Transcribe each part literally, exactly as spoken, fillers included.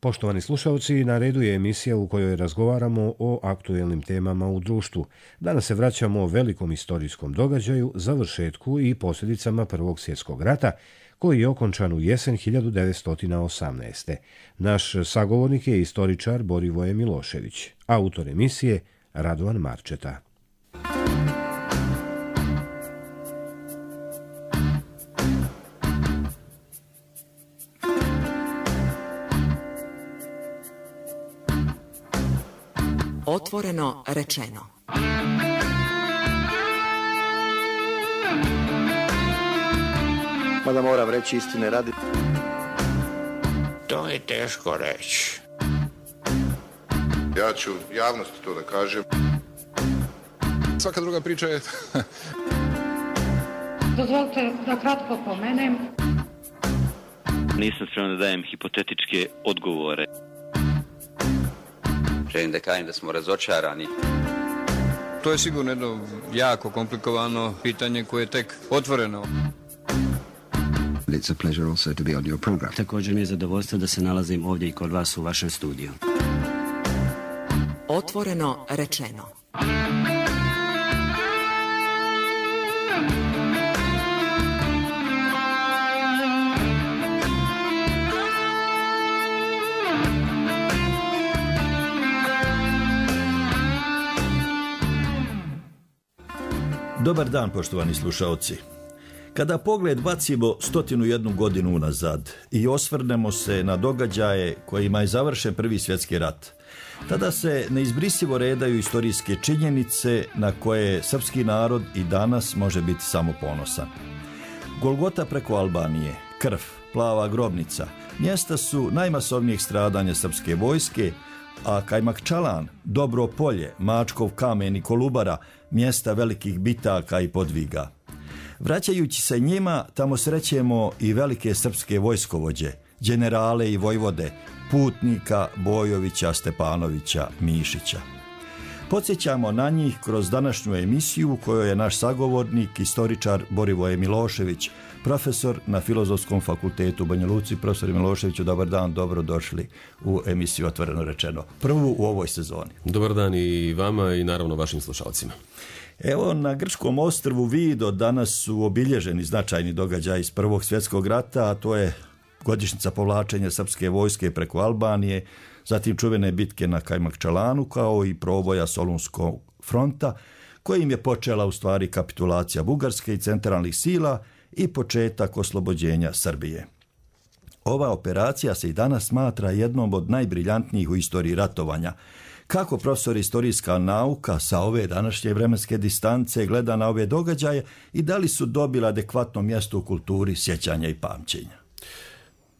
Poštovani slušalci, na redu je emisija u kojoj razgovaramo o aktuelnim temama u društvu. Danas se vraćamo o velikom istorijskom događaju, završetku i posljedicama Prvog svjetskog rata, koji je okončan u jesen hiljadu devetsto osamnaeste. Naš sagovornik je istoričar Borivoje Milošević, autor emisije Radovan Marčeta. Otvoreno rečeno. Mada moram reći istine radi. To je teško reći. Ja ću javnosti to da kažem. Svaka druga priča je... Dozvolite da kratko pomenem. Nisam spreman da dajem hipotetičke odgovore. Želim da kažem da smo razočarani. To je sigurno jedno jako komplikovano pitanje koje je tek otvoreno. It's a pleasure also to be on your program. Također mi je zadovoljstvo da se nalazim ovdje i kod vas u vašem studiju. Otvoreno rečeno. Dobar dan, poštovani slušaoci. Kada pogled bacimo stotinu jednu godinu unazad i osvrnemo se na događaje kojima je završen Prvi svjetski rat, tada se neizbrisivo redaju istorijske činjenice na koje srpski narod i danas može biti samo ponosan. Golgota preko Albanije, krv, plava grobnica, mjesta su najmasovnijeg stradanja srpske vojske, a Kajmakčalan, Dobro polje, Mačkov kamen i Kolubara, mjesta velikih bitaka i podviga. Vraćajući se njima, tamo srećemo i velike srpske vojskovođe, generale i vojvode, Putnika, Bojovića, Stepanovića, Mišića. Podsjećamo na njih kroz današnju emisiju u kojoj je naš sagovornik, istoričar Borivoje Milošević, profesor na Filozofskom fakultetu u Banja Luci. Profesor Miloševiću, dobar dan, dobro došli u emisiju Otvoreno rečeno, prvu u ovoj sezoni. Dobar dan i vama i naravno vašim slušalcima. Evo, na grčkom ostrvu Vido danas su obilježeni značajni događaji iz Prvog svjetskog rata, a to je godišnjica povlačenja srpske vojske preko Albanije, zatim čuvene bitke na Kajmakčalanu, kao i proboja Solunskog fronta, kojim je počela u stvari kapitulacija Bugarske i centralnih sila i početak oslobođenja Srbije. Ova operacija se i danas smatra jednom od najbriljantnijih u istoriji ratovanja. Kako profesor istorijska nauka sa ove današnje vremenske distance gleda na ove događaje i da li su dobili adekvatno mjesto u kulturi sjećanja i pamćenja?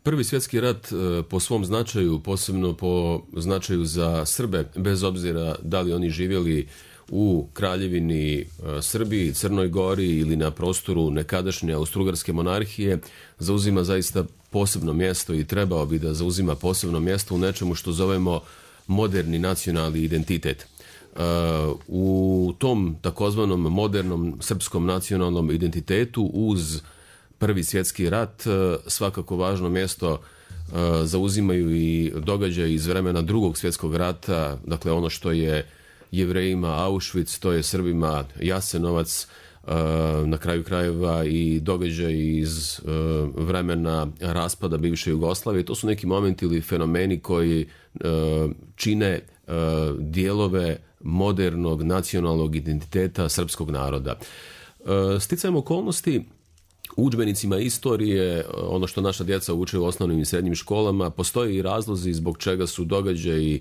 Prvi svjetski rat po svom značaju, posebno po značaju za Srbe, bez obzira da li oni živjeli u Kraljevini Srbiji, Crnoj Gori ili na prostoru nekadašnje Austro-Ugarske monarhije, zauzima zaista posebno mjesto i trebao bi da zauzima posebno mjesto u nečemu što zovemo moderni nacionalni identitet. U tom takozvanom modernom srpskom nacionalnom identitetu uz Prvi svjetski rat svakako važno mjesto zauzimaju i događaji iz vremena Drugog svjetskog rata, dakle ono što je Jevrejima Auschwitz, to je Srbima Jasenovac, na kraju krajeva i događaji iz vremena raspada bivše Jugoslavije. To su neki momenti ili fenomeni koji čine dijelove modernog nacionalnog identiteta srpskog naroda. Sticajem okolnosti, u udžbenicima istorije, ono što naša djeca uče u osnovnim i srednjim školama, postoje i razlozi zbog čega su događaji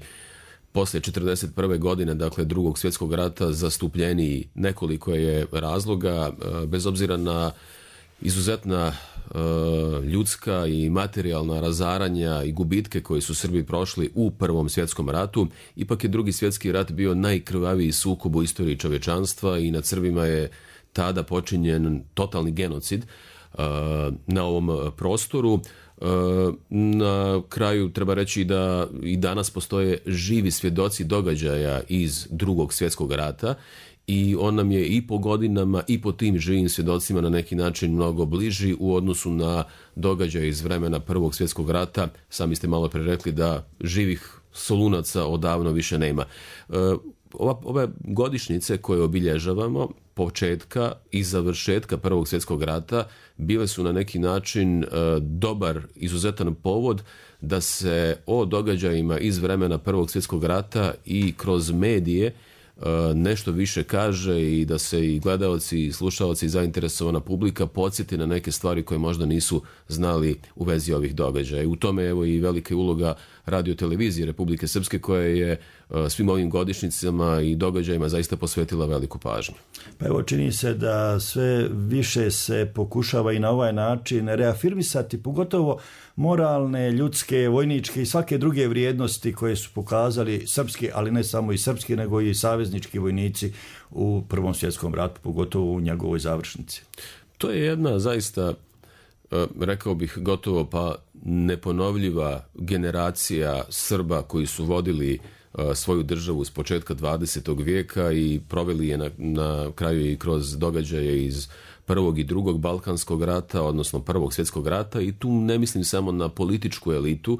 poslije četrdeset prve godine, dakle Drugog svjetskog rata, zastupljeniji. Nekoliko je razloga, bez obzira na izuzetna ljudska i materijalna razaranja i gubitke koji su Srbi prošli u Prvom svjetskom ratu, ipak je Drugi svjetski rat bio najkrvaviji sukob u istoriji čovječanstva i nad Srbima je tada počinjen totalni genocid na ovom prostoru. Na kraju treba reći da i danas postoje živi svjedoci događaja iz Drugog svjetskog rata i on nam je i po godinama i po tim živim svjedocima na neki način mnogo bliži u odnosu na događaje iz vremena Prvog svjetskog rata. Sami ste malo pre rekli da živih Solunaca odavno više nema. Ova, ove godišnjice koje obilježavamo, početka i završetka Prvog svjetskog rata, bile su na neki način dobar, izuzetan povod da se o događajima iz vremena Prvog svjetskog rata i kroz medije nešto više kaže i da se i gledaoci, i slušaoci i zainteresovana publika podsjeti na neke stvari koje možda nisu znali u vezi ovih događaja. I u tome evo i velika uloga Radio-televizije Republike Srpske koja je svim ovim godišnjicama i događajima zaista posvetila veliku pažnju. Pa evo, čini se da sve više se pokušava i na ovaj način reafirmisati, pogotovo moralne, ljudske, vojničke i svake druge vrijednosti koje su pokazali srpski, ali ne samo i srpski, nego i saveznički vojnici u Prvom svjetskom ratu, pogotovo u njegovoj završnici. To je jedna zaista, rekao bih, gotovo pa neponovljiva generacija Srba koji su vodili svoju državu s početka dvadesetog vijeka i proveli je na, na kraju i kroz događaje iz Prvog i Drugog Balkanskog rata, odnosno Prvog svjetskog rata, i tu ne mislim samo na političku elitu,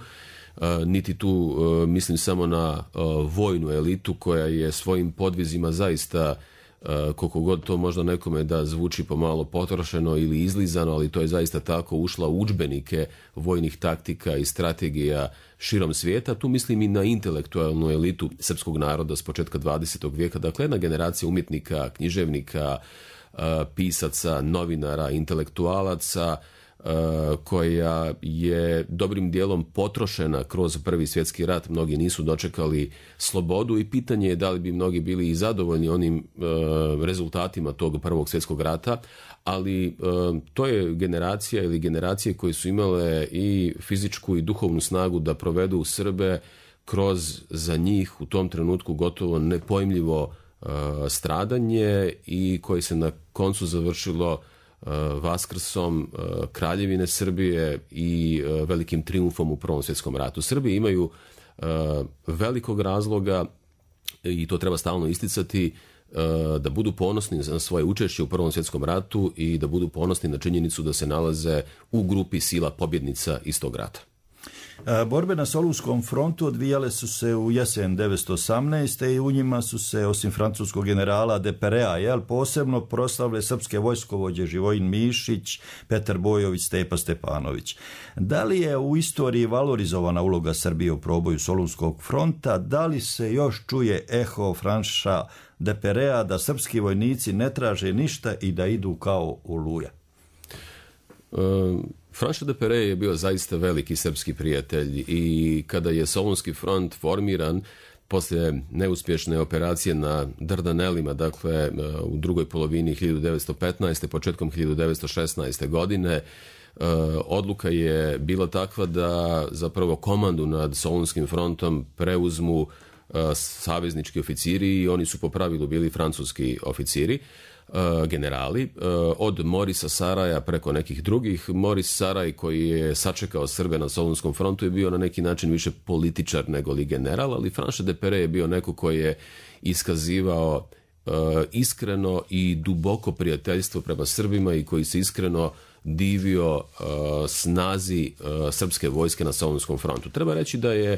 niti tu mislim samo na vojnu elitu koja je svojim podvizima zaista, koliko god to možda nekome da zvuči pomalo potrošeno ili izlizano, ali to je zaista tako, ušla u udžbenike vojnih taktika i strategija širom svijeta. Tu mislim i na intelektualnu elitu srpskog naroda s početka dvadesetog vijeka, dakle jedna generacija umjetnika, književnika, pisaca, novinara, intelektualaca koja je dobrim dijelom potrošena kroz Prvi svjetski rat. Mnogi nisu dočekali slobodu i pitanje je da li bi mnogi bili i zadovoljni onim rezultatima tog Prvog svjetskog rata, ali to je generacija ili generacije koje su imale i fizičku i duhovnu snagu da provedu Srbe kroz za njih u tom trenutku gotovo nepojmljivo stradanje i koji se na koncu završilo Vaskrsom Kraljevine Srbije i velikim triumfom u Prvom svjetskom ratu. Srbi imaju velikog razloga, i to treba stalno isticati, da budu ponosni na svoje učešće u Prvom svjetskom ratu i da budu ponosni na činjenicu da se nalaze u grupi sila pobjednica iz tog rata. Borbe na Solunskom frontu odvijale su se u jesen devetsto osamnaeste. i u njima su se, osim francuskog generala Deperea, jel, posebno proslavile srpske vojskovođe Živojin Mišić, Petar Bojović, Stepa Stepanović. Da li je u istoriji valorizovana uloga Srbije u proboju Solunskog fronta? Da li se još čuje eho Franša Deperea da srpski vojnici ne traže ništa i da idu kao Oluja? Um... Franša Depere je bio zaista veliki srpski prijatelj i kada je Solunski front formiran poslije neuspješne operacije na Dardanelima, dakle u drugoj polovini hiljadu devetsto petnaeste. početkom hiljadu devetsto šesnaeste. godine, odluka je bila takva da zapravo komandu nad Solunskim frontom preuzmu saveznički oficiri i oni su po pravilu bili francuski oficiri, generali, od Morisa Saraja preko nekih drugih. Moris Saraj, koji je sačekao Srbe na Solunskom frontu, je bio na neki način više političar nego li general, ali Franša Depere je bio neko koji je iskazivao iskreno i duboko prijateljstvo prema Srbima i koji se iskreno divio snazi srpske vojske na Solunskom frontu. Treba reći da je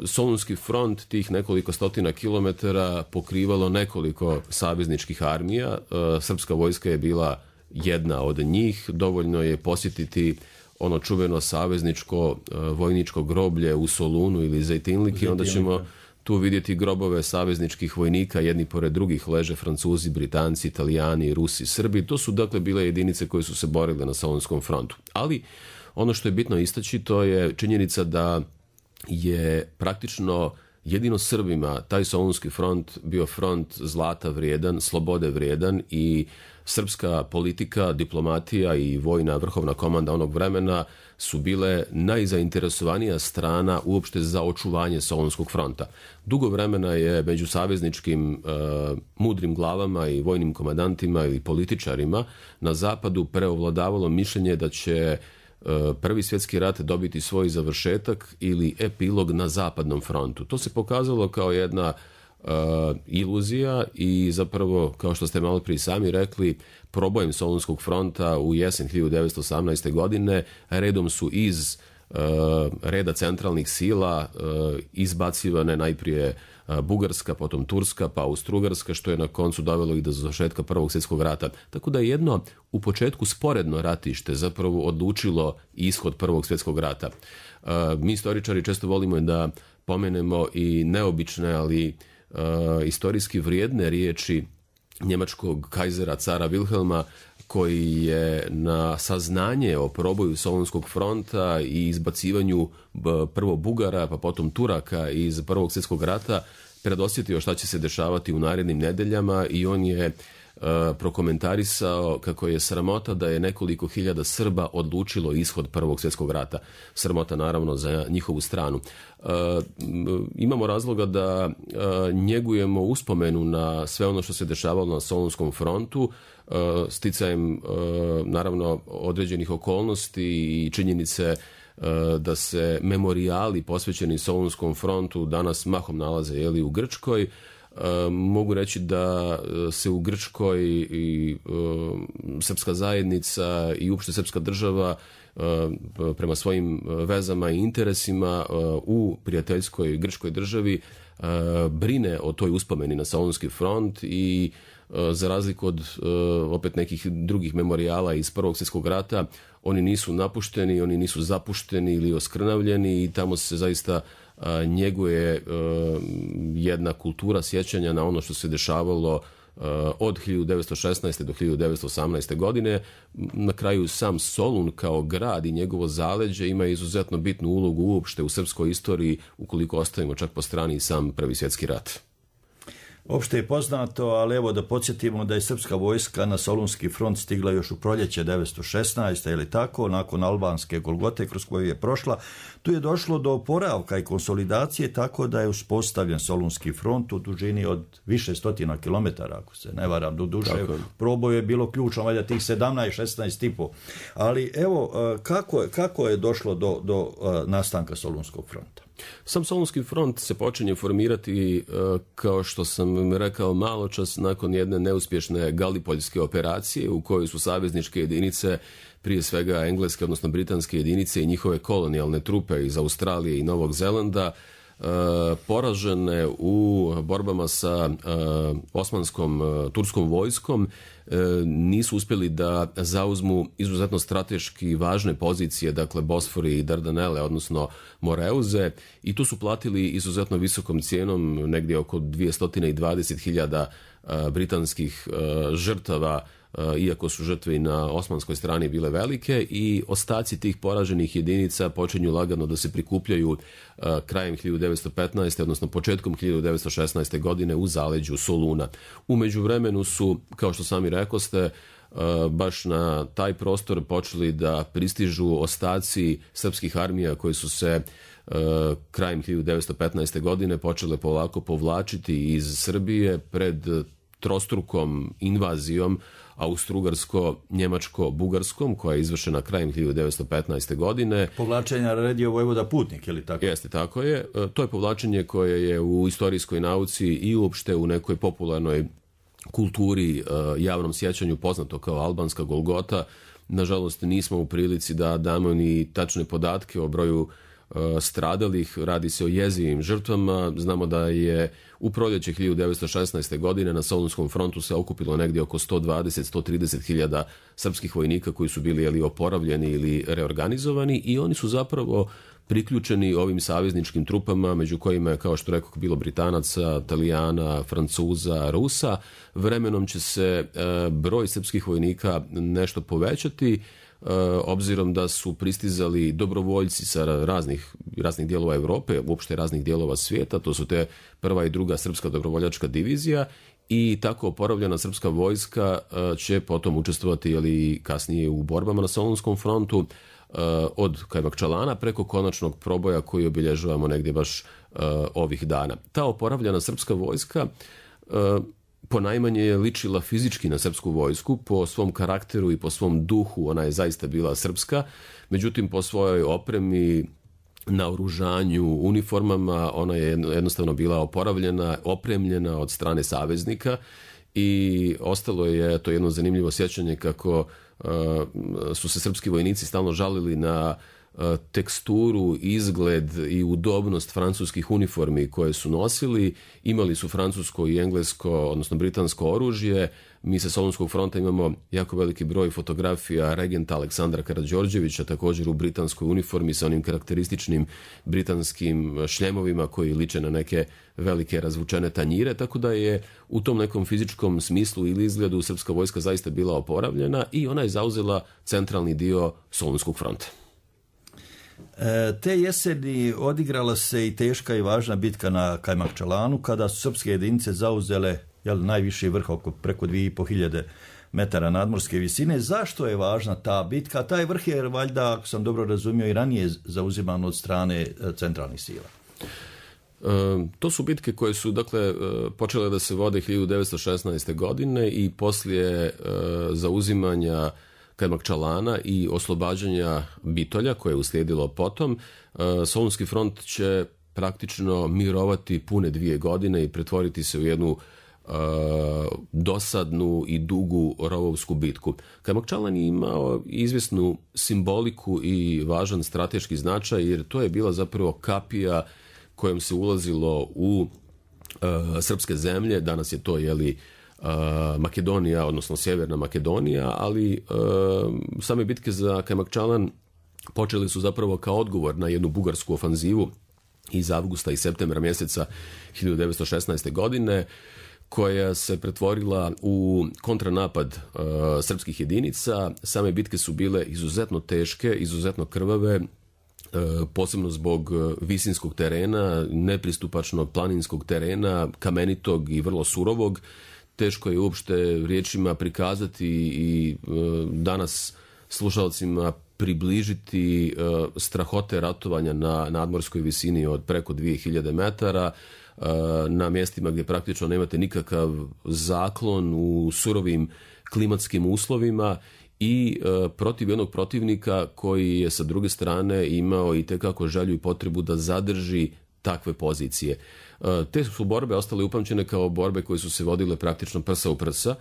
Solunski front tih nekoliko stotina kilometara pokrivalo nekoliko savezničkih armija. Srpska vojska je bila jedna od njih. Dovoljno je posjetiti ono čuveno savezničko vojničko groblje u Solunu ili Zejtinliki, onda ćemo tu vidjeti grobove savezničkih vojnika, jedni pored drugih leže Francuzi, Britanci, Italijani, Rusi, Srbi. To su dakle bile jedinice koje su se borile na Solunskom frontu. Ali ono što je bitno istaći, to je činjenica da je praktično jedino Srbima taj Solunski front bio front zlata vrijedan, slobode vrijedan i srpska politika, diplomatija i vojna vrhovna komanda onog vremena su bile najzainteresovanija strana uopšte za očuvanje Solunskog fronta. Dugo vremena je među savezničkim uh, mudrim glavama i vojnim komandantima ili političarima na zapadu preovladavalo mišljenje da će Prvi svjetski rat dobiti svoj završetak ili epilog na zapadnom frontu. To se pokazalo kao jedna uh, iluzija i zapravo, kao što ste malo prije sami rekli, probojem Solunskog fronta u jesen hiljadu devetsto osamnaeste. godine redom su iz uh, reda centralnih sila uh, izbacivane najprije Bugarska, potom Turska, pa Austro-Ugarska, što je na koncu dovelo i do završetka Prvog svjetskog rata. Tako da je jedno u početku sporedno ratište zapravo odlučilo ishod Prvog svjetskog rata. Mi istoričari često volimo da pomenemo i neobične, ali uh, istorijski vrijedne riječi njemačkog kajzera cara Wilhelma, koji je na saznanje o proboju Solunskog fronta i izbacivanju prvo Bugara, pa potom Turaka iz Prvog svjetskog rata predosjetio šta će se dešavati u narednim nedeljama i on je uh, prokomentarisao kako je sramota da je nekoliko hiljada Srba odlučilo ishod Prvog svjetskog rata. Sramota naravno za njihovu stranu. Uh, imamo razloga da uh, njegujemo uspomenu na sve ono što se dešavalo na Solunskom frontu, uh, sticajem uh, naravno određenih okolnosti i činjenice da se memorijali posvećeni Solunskom frontu danas mahom nalaze jeli, u Grčkoj. Mogu reći da se u Grčkoj i srpska zajednica i uopšte srpska država prema svojim vezama i interesima u prijateljskoj grčkoj državi brine o toj uspomeni na Solunski front i za razliku od opet nekih drugih memorijala iz Prvog svjetskog rata, oni nisu napušteni, oni nisu zapušteni ili oskrnavljeni i tamo se zaista njeguje jedna kultura sjećanja na ono što se dešavalo od hiljadu devetsto šesnaeste. do hiljadu devetsto osamnaeste. godine. Na kraju sam Solun kao grad i njegovo zaleđe ima izuzetno bitnu ulogu uopšte u srpskoj istoriji, ukoliko ostavimo čak po strani sam Prvi svjetski rat. Opšte je poznato, ali evo da podsjetimo da je srpska vojska na Solunski front stigla još u proljeće devetsto šesnaeste. ili tako, nakon albanske Golgote kroz koju je prošla. Tu je došlo do oporavka i konsolidacije, tako da je uspostavljen Solunski front u dužini od više stotina kilometara, ako se ne varam, do duše. Proboj je bilo ključno, valjda tih sedamnaest šesnaest i po. Ali evo, kako je, kako je došlo do, do nastanka Solunskog fronta? Sam Solunski front se počinje formirati, kao što sam rekao malo čas, nakon jedne neuspješne Galipoljske operacije u kojoj su savezničke jedinice, prije svega engleske, odnosno britanske jedinice i njihove kolonijalne trupe iz Australije i Novog Zelanda, poražene u borbama sa osmanskom turskom vojskom, nisu uspjeli da zauzmu izuzetno strateški važne pozicije, dakle Bosfori i Dardanele, odnosno Moreuze, i tu su platili izuzetno visokom cijenom, negdje oko dvjesto dvadeset hiljada britanskih žrtava, iako su žrtve i na osmanskoj strani bile velike, i ostaci tih poraženih jedinica počinju lagano da se prikupljaju krajem hiljadu devetsto petnaeste. odnosno početkom hiljadu devetsto šesnaeste. godine u zaleđu Soluna. U međuvremenu su, kao što sami rekoste, baš na taj prostor počeli da pristižu ostaci srpskih armija koji su se krajem hiljadu devetsto petnaeste. godine počele polako povlačiti iz Srbije pred trostrukom invazijom austrougarsko-njemačko-bugarskom, koja je izvršena krajem hiljadu devetsto petnaeste. godine. Povlačenje naredio vojvoda Putnik, ili tako? Jeste, tako je. To je povlačenje koje je u istorijskoj nauci i uopšte u nekoj popularnoj kulturi, javnom sjećanju poznato kao albanska Golgota. Nažalost, nismo u prilici da damo ni tačne podatke o broju stradalih, radi se o jezivim žrtvama. Znamo da je u proljeće hiljadu devetsto šesnaeste. godine na Solunskom frontu se okupilo negdje oko sto dvadeset do sto trideset hiljada srpskih vojnika koji su bili ili oporavljeni ili reorganizovani, i oni su zapravo priključeni ovim savezničkim trupama, među kojima je, kao što rekao, bilo Britanaca, Italijana, Francuza, Rusa. Vremenom će se broj srpskih vojnika nešto povećati, obzirom da su pristizali dobrovoljci sa raznih, raznih dijelova Europe, uopšte raznih dijelova svijeta. To su te prva i druga srpska dobrovoljačka divizija, i tako oporavljena srpska vojska će potom učestvovati ili kasnije u borbama na Solunskom frontu, od Kajmakčalana preko konačnog proboja koji obilježavamo negdje baš ovih dana. Ta oporavljena srpska vojska ponajmanje je ličila fizički na srpsku vojsku, po svom karakteru i po svom duhu ona je zaista bila srpska, međutim po svojoj opremi naoružanju, uniformama, ona je jednostavno bila oporavljena, opremljena od strane saveznika i ostalo je to jedno zanimljivo sjećanje kako uh, su se srpski vojnici stalno žalili na uh, teksturu, izgled i udobnost francuskih uniformi koje su nosili. Imali su francusko i englesko, odnosno britansko oružje. Mi sa Solunskog fronta imamo jako veliki broj fotografija regenta Aleksandra Karađorđevića, također u britanskoj uniformi sa onim karakterističnim britanskim šljemovima koji liče na neke velike razvučene tanjire, tako da je u tom nekom fizičkom smislu ili izgledu srpska vojska zaista bila oporavljena i ona je zauzela centralni dio Solunskog fronta. E, te jeseni odigrala se i teška i važna bitka na Kajmakčalanu kada su srpske jedinice zauzele jel, najviši vrh oko preko dvije i po hiljade metara nadmorske visine. Zašto je važna ta bitka? Taj vrh je valjda, ako sam dobro razumio, i ranije zauziman od strane centralnih sila. E, to su bitke koje su dakle počele da se vode hiljadu devetsto šesnaeste. godine i poslije e, zauzimanja Kajmakčalana i oslobađanja Bitolja koje je uslijedilo potom, e, Solunski front će praktično mirovati pune dvije godine i pretvoriti se u jednu Uh, dosadnu i dugu rovovsku bitku. Kajmakčalan je imao izvjesnu simboliku i važan strateški značaj jer to je bila zapravo kapija kojom se ulazilo u uh, srpske zemlje. Danas je to jeli uh, Makedonija, odnosno Sjeverna Makedonija, ali uh, same bitke za Kajmakčalan počeli su zapravo kao odgovor na jednu bugarsku ofanzivu iz avgusta i septembra mjeseca hiljadu devetsto šesnaeste. godine koja se pretvorila u kontranapad uh, srpskih jedinica. Same bitke su bile izuzetno teške, izuzetno krvave, uh, posebno zbog visinskog terena, nepristupačnog planinskog terena, kamenitog i vrlo surovog. Teško je uopšte riječima prikazati i uh, danas slušalcima približiti uh, strahote ratovanja na nadmorskoj visini od preko dvije hiljade metara, na mjestima gdje praktično nemate nikakav zaklon u surovim klimatskim uslovima i e, protiv jednog protivnika koji je sa druge strane imao i tekako želju i potrebu da zadrži takve pozicije. E, te su borbe ostale upamćene kao borbe koje su se vodile praktično prsa u prsa,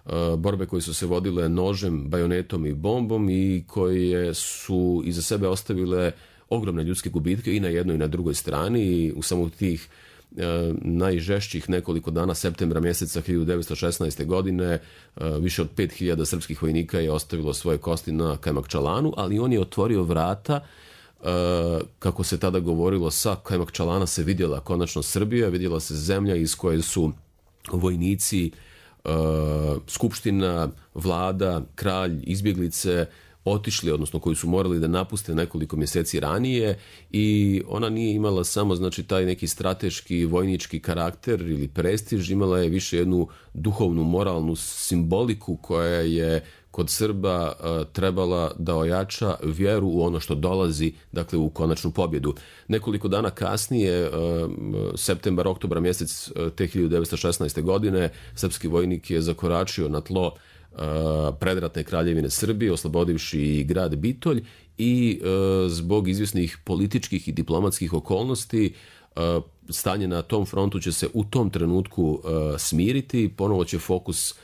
e, borbe koje su se vodile nožem, bajonetom i bombom i koje su iza sebe ostavile ogromne ljudske gubitke i na jednoj i na drugoj strani i u samo tih najžešćih nekoliko dana septembra mjeseca hiljadu devetsto šesnaeste. godine više od pet hiljada srpskih vojnika je ostavilo svoje kosti na Kajmakčalanu, ali on je otvorio vrata, kako se tada govorilo, sa Kajmakčalana se vidjela konačno Srbija, vidjela se zemlja iz koje su vojnici, skupština, vlada, kralj, izbjeglice otišli, odnosno koji su morali da napuste nekoliko mjeseci ranije i ona nije imala samo znači taj neki strateški vojnički karakter ili prestiž, imala je više jednu duhovnu, moralnu simboliku koja je kod Srba uh, trebala da ojača vjeru u ono što dolazi, dakle u konačnu pobjedu. Nekoliko dana kasnije, uh, septembar, oktobra mjesec uh, te hiljadu devetsto šesnaeste. godine, srpski vojnik je zakoračio na tlo uh, predratne kraljevine Srbije, oslobodivši i grad Bitolj i uh, zbog izvjesnih političkih i diplomatskih okolnosti uh, stanje na tom frontu će se u tom trenutku uh, smiriti, ponovo će fokus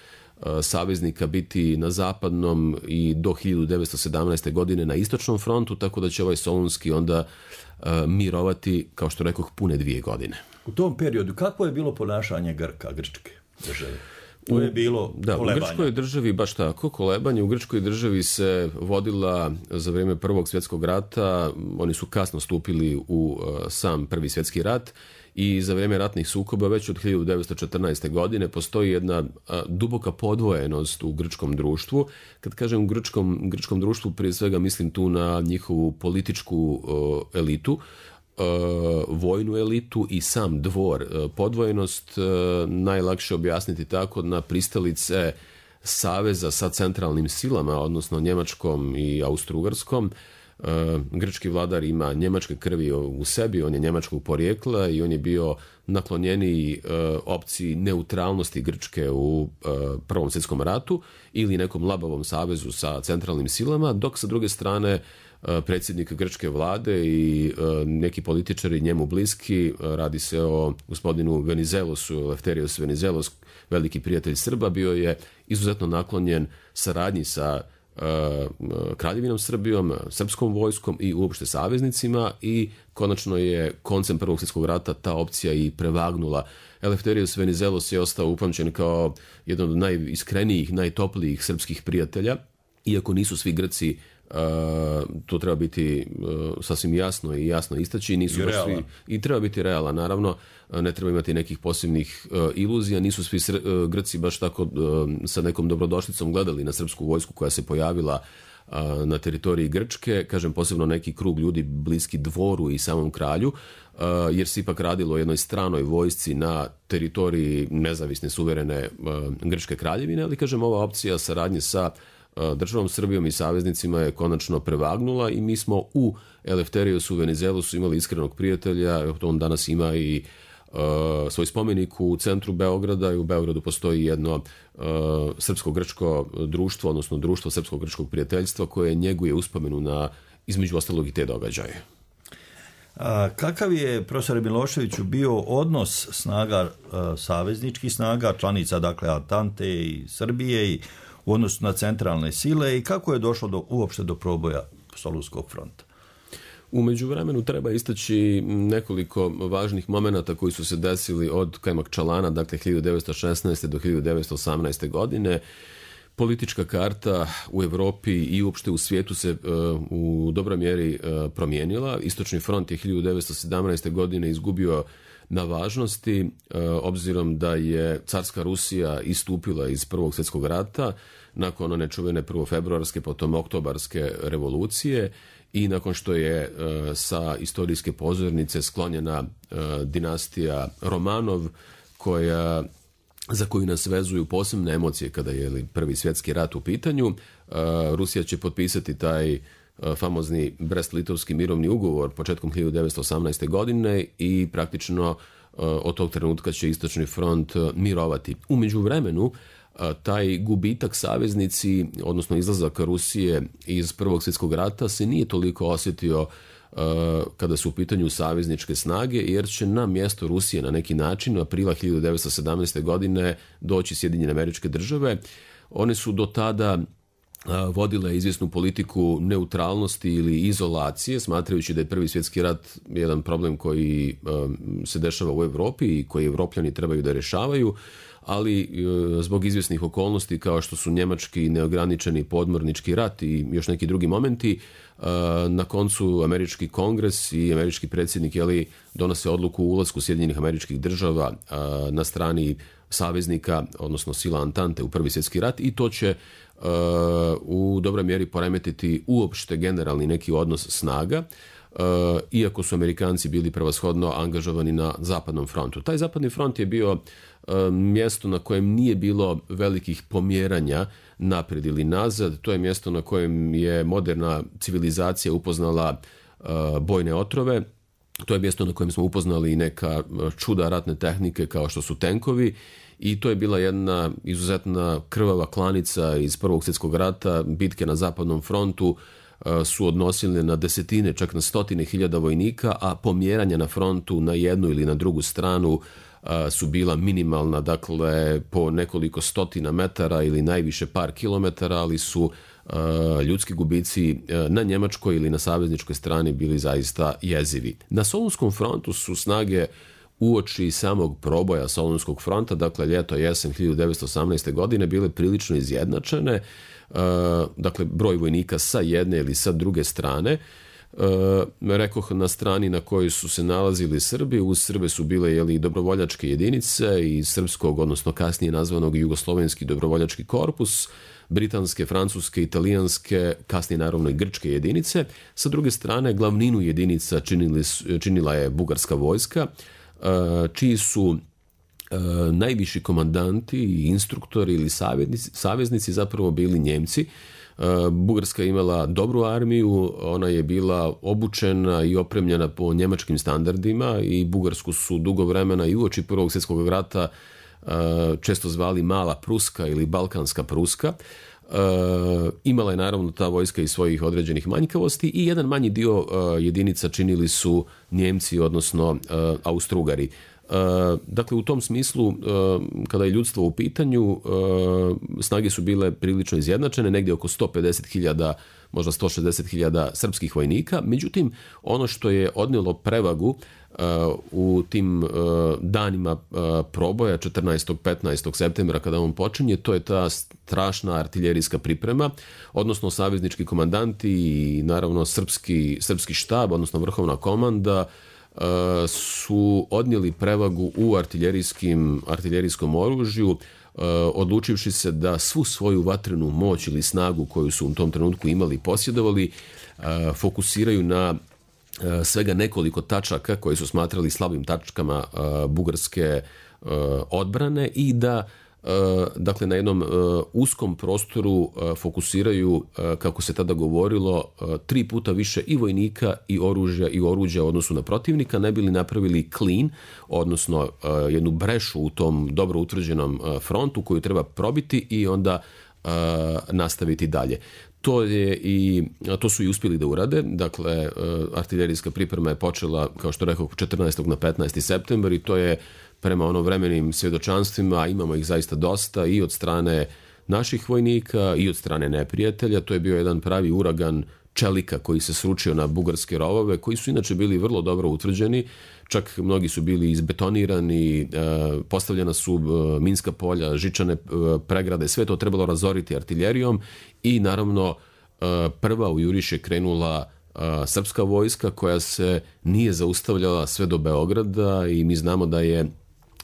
saveznika biti na zapadnom i do hiljadu devetsto sedamnaeste. godine na istočnom frontu, tako da će ovaj Solunski onda uh, mirovati, kao što rekoh, pune dvije godine. U tom periodu kakvo je bilo ponašanje Grka, Grčke države? To je bilo da, kolebanje. U Grčkoj državi baš tako, kolebanje. U Grčkoj državi se vodila za vrijeme Prvog svjetskog rata, oni su kasno stupili u uh, sam Prvi svjetski rat, i za vrijeme ratnih sukoba već od hiljadu devetsto četrnaeste. godine postoji jedna a, duboka podvojenost u grčkom društvu. Kad kažem grčkom, grčkom društvu, prije svega mislim tu na njihovu političku o, elitu, o, vojnu elitu i sam dvor. O, podvojenost o, najlakše objasniti tako na pristalice saveza sa centralnim silama, odnosno njemačkom i austrougarskom. Uh, grčki vladar ima njemačke krvi u sebi, on je njemačkog porijekla i on je bio naklonjeniji uh, opciji neutralnosti Grčke u uh, Prvom svjetskom ratu ili nekom labavom savezu sa centralnim silama, dok sa druge strane predsjednik grčke vlade i neki političari njemu bliski. Radi se o gospodinu Venizelosu, Eleftherios Venizelos, veliki prijatelj Srba, bio je izuzetno naklonjen saradnji sa Kraljevinom Srbijom, srpskom vojskom i uopšte saveznicima i konačno je koncem Prvog svjetskog rata ta opcija i prevagnula. Eleftherios Venizelos je ostao upamćen kao jedan od najiskrenijih, najtoplijih srpskih prijatelja, iako nisu svi Grci, Uh, to treba biti uh, sasvim jasno i jasno istaći, nisu baš svi, i treba biti realan, naravno, ne treba imati nekih posebnih uh, iluzija, nisu svi sr, uh, Grci baš tako uh, sa nekom dobrodošlicom gledali na srpsku vojsku koja se pojavila uh, na teritoriji Grčke, kažem posebno neki krug ljudi bliski dvoru i samom kralju, uh, jer se ipak radilo o jednoj stranoj vojsci na teritoriji nezavisne suverene uh, Grčke kraljevine, ali kažem ova opcija saradnje sa državom Srbijom i saveznicima je konačno prevagnula i mi smo u Eleftheriosu Venizelosu imali iskrenog prijatelja, on danas ima i uh, svoj spomenik u centru Beograda i u Beogradu postoji jedno uh, srpsko-grčko društvo, odnosno društvo srpsko-grčkog prijateljstva koje njeguje uspomenu na između ostalog i te događaje. A kakav je, profesore Miloševiću, bio odnos snaga, a, savezničkih snaga, članica dakle Antante i Srbije i u odnosu na centralne sile i kako je došlo do, uopšte do proboja Solunskog fronta? U međuvremenu treba istaći nekoliko važnih momenata koji su se desili od Kajmakčalana, dakle hiljadu devetsto šesnaeste. do hiljadu devetsto osamnaeste. godine. Politička karta u Evropi i uopšte u svijetu se uh, u dobroj mjeri uh, promijenila. Istočni front je hiljadu devetsto sedamnaeste. godine izgubio na važnosti, uh, obzirom da je carska Rusija istupila iz Prvog svjetskog rata nakon one čuvene prvofebruarske, potom oktobarske revolucije i nakon što je uh, sa istorijske pozornice sklonjena uh, dinastija Romanov, koja za koju nas vezuju posebne emocije kada je Prvi svjetski rat u pitanju. Uh, Rusija će potpisati taj uh, famozni Brest-Litovski mirovni ugovor početkom hiljadu devetsto osamnaeste. godine i praktično uh, od tog trenutka će Istočni front uh, mirovati. U međuvremenu uh, taj gubitak saveznici, odnosno izlazak Rusije iz Prvog svjetskog rata se nije toliko osjetio kada su u pitanju savezničke snage, jer će na mjesto Rusije na neki način u aprila hiljadu devetsto sedamnaeste. godine doći Sjedinjene Američke Države. One su do tada vodile izvjesnu politiku neutralnosti ili izolacije, smatrajući da je Prvi svjetski rat jedan problem koji se dešava u Europi i koji Evropljani trebaju da rješavaju, ali zbog izvjesnih okolnosti kao što su njemački neograničeni podmornički rat i još neki drugi momenti, na koncu američki kongres i američki predsjednik jeli, donose odluku o ulasku Sjedinjenih Američkih Država na strani saveznika, odnosno sila Antante u Prvi svjetski rat i to će u dobroj mjeri poremetiti uopšte generalni neki odnos snaga, iako su Amerikanci bili prevashodno angažovani na zapadnom frontu. Taj zapadni front je bio mjesto na kojem nije bilo velikih pomjeranja naprijed ili nazad. To je mjesto na kojem je moderna civilizacija upoznala bojne otrove. To je mjesto na kojem smo upoznali neka čuda ratne tehnike kao što su tenkovi i to je bila jedna izuzetna krvava klanica iz Prvog svjetskog rata. Bitke na zapadnom frontu su odnosile na desetine, čak na stotine hiljada vojnika, a pomjeranja na frontu na jednu ili na drugu stranu su bila minimalna, dakle po nekoliko stotina metara ili najviše par kilometara, ali su ljudski gubici na njemačkoj ili na savezničkoj strani bili zaista jezivi. Na Solunskom frontu su snage uoči samog proboja Solunskog fronta, dakle ljeto jesen hiljadu devetsto osamnaeste. godine bile prilično izjednačene, dakle broj vojnika sa jedne ili sa druge strane. Uh, rekoh na strani na kojoj su se nalazili Srbi, uz Srbe su bile jeli, dobrovoljačke jedinice i srpskog, odnosno kasnije nazvanog jugoslovenski dobrovoljački korpus, britanske, francuske, italijanske, kasnije naravno i grčke jedinice. Sa druge strane, glavninu jedinica činili, činila je bugarska vojska, uh, čiji su uh, najviši komandanti i instruktori ili saveznici, saveznici zapravo bili Njemci. Bugarska je imala dobru armiju, ona je bila obučena i opremljena po njemačkim standardima i Bugarsku su dugo vremena i uoči Prvog svjetskog rata često zvali Mala Pruska ili Balkanska Pruska. imala je naravno ta vojska i svojih određenih manjkavosti i jedan manji dio jedinica činili su Njemci, odnosno Austro-Ugari. Dakle, u tom smislu, kada je ljudstvo u pitanju, snage su bile prilično izjednačene, negdje oko sto pedeset hiljada, možda sto šezdeset hiljada srpskih vojnika. Međutim, ono što je odnijelo prevagu u tim danima proboja četrnaestog petnaestog septembra kada on počinje, to je ta strašna artiljerijska priprema, odnosno saveznički komandanti i naravno srpski, srpski štab, odnosno vrhovna komanda su odnijeli prevagu u artiljerijskim, artiljerijskom oružju, odlučivši se da svu svoju vatrenu moć ili snagu koju su u tom trenutku imali i posjedovali fokusiraju na svega nekoliko tačaka koje su smatrali slabim tačkama bugarske odbrane i da dakle na jednom uskom prostoru fokusiraju, kako se tada govorilo, tri puta više i vojnika i oružja i oruđa u odnosu na protivnika, ne bili napravili clean, odnosno jednu brešu u tom dobro utvrđenom frontu koju treba probiti i onda nastaviti dalje. To je i to su i uspjeli da urade. Dakle, artiljerijska priprema je počela, kao što rekao, četrnaestog na petnaesti septembar i to je prema ono vremenim svjedočanstvima, imamo ih zaista dosta i od strane naših vojnika i od strane neprijatelja. To je bio jedan pravi uragan čelika koji se sručio na bugarske rovove, koji su inače bili vrlo dobro utvrđeni, čak mnogi su bili izbetonirani, postavljena su minska polja, žičane pregrade, sve to trebalo razoriti artiljerijom i naravno prva u juriš je krenula srpska vojska koja se nije zaustavljala sve do Beograda i mi znamo da je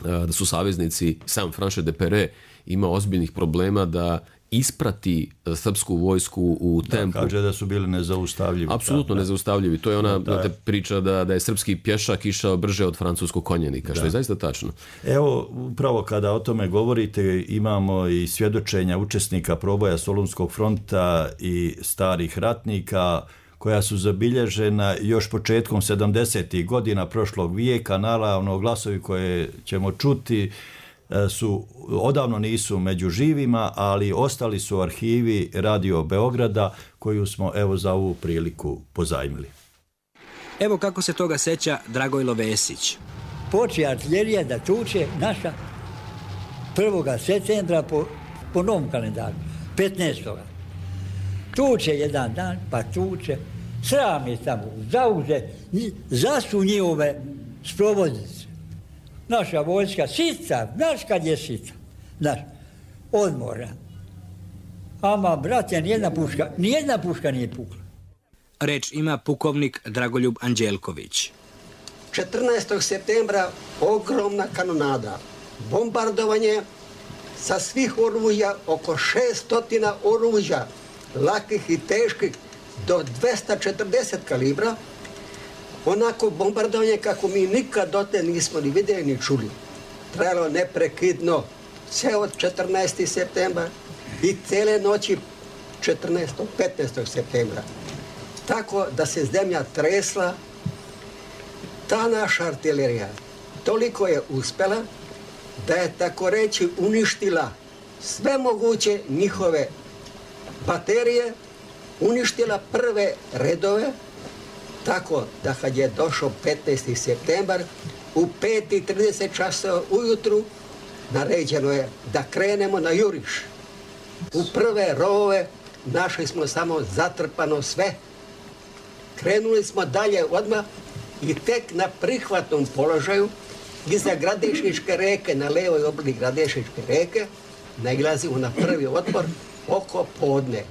da su saveznici, sam Franche de Pere ima ozbiljnih problema da isprati srpsku vojsku u tempu. Da, kaže da su bili nezaustavljivi. Apsolutno da, nezaustavljivi. To je ona da, da. priča da, da je srpski pješak išao brže od francuskog konjenika, što da. je zaista tačno. Evo, upravo kada o tome govorite, imamo i svjedočenja učesnika proboja Solunskog fronta i starih ratnika, koja su zabilježena još početkom sedamdesetih godina prošlog vijeka. Naravno, glasovi koje ćemo čuti su odavno nisu među živima, ali ostali su u arhivi Radio Beograda koju smo evo za ovu priliku pozajmili. Evo kako se toga seća Dragojlo Vesić. Počne artiljerija da tuče naša prvog septembra po, po novom kalendaru, petnaestog Tuče jedan dan, pa tuče, sram je tamo, zauze, zasu njihove sprovodnice. Naša vojska sita, znaš kad je sita, znaš, odmora. Ama, brate, nijedna puška, nijedna puška nije pukla. Reč ima pukovnik Dragoljub Anđelković. četrnaestog septembra ogromna kanonada, bombardovanje sa svih oružja, oko šesto oružja, lakih i teških, do dvesta četrdeset kalibra, onako bombardovanje kako mi nikad dotle nismo ni vidjeli ni čuli. Trajalo neprekidno, sve od četrnaestog septembra i cele noći četrnaestog petnaestog septembra. Tako da se zemlja tresla, ta naša artiljerija toliko je uspjela da je tako reći uništila sve moguće njihove baterije, uništila prve redove, tako da kad je došao petnaesti septembar, u pet i trideset časova ujutru naređeno je da krenemo na juriš. U prve rovove našli smo samo zatrpano sve. Krenuli smo dalje odmah i tek na prihvatnom položaju iza Gradišničke reke, na levoj obali Gradišničke reke, nailazimo na prvi otpor oko podne.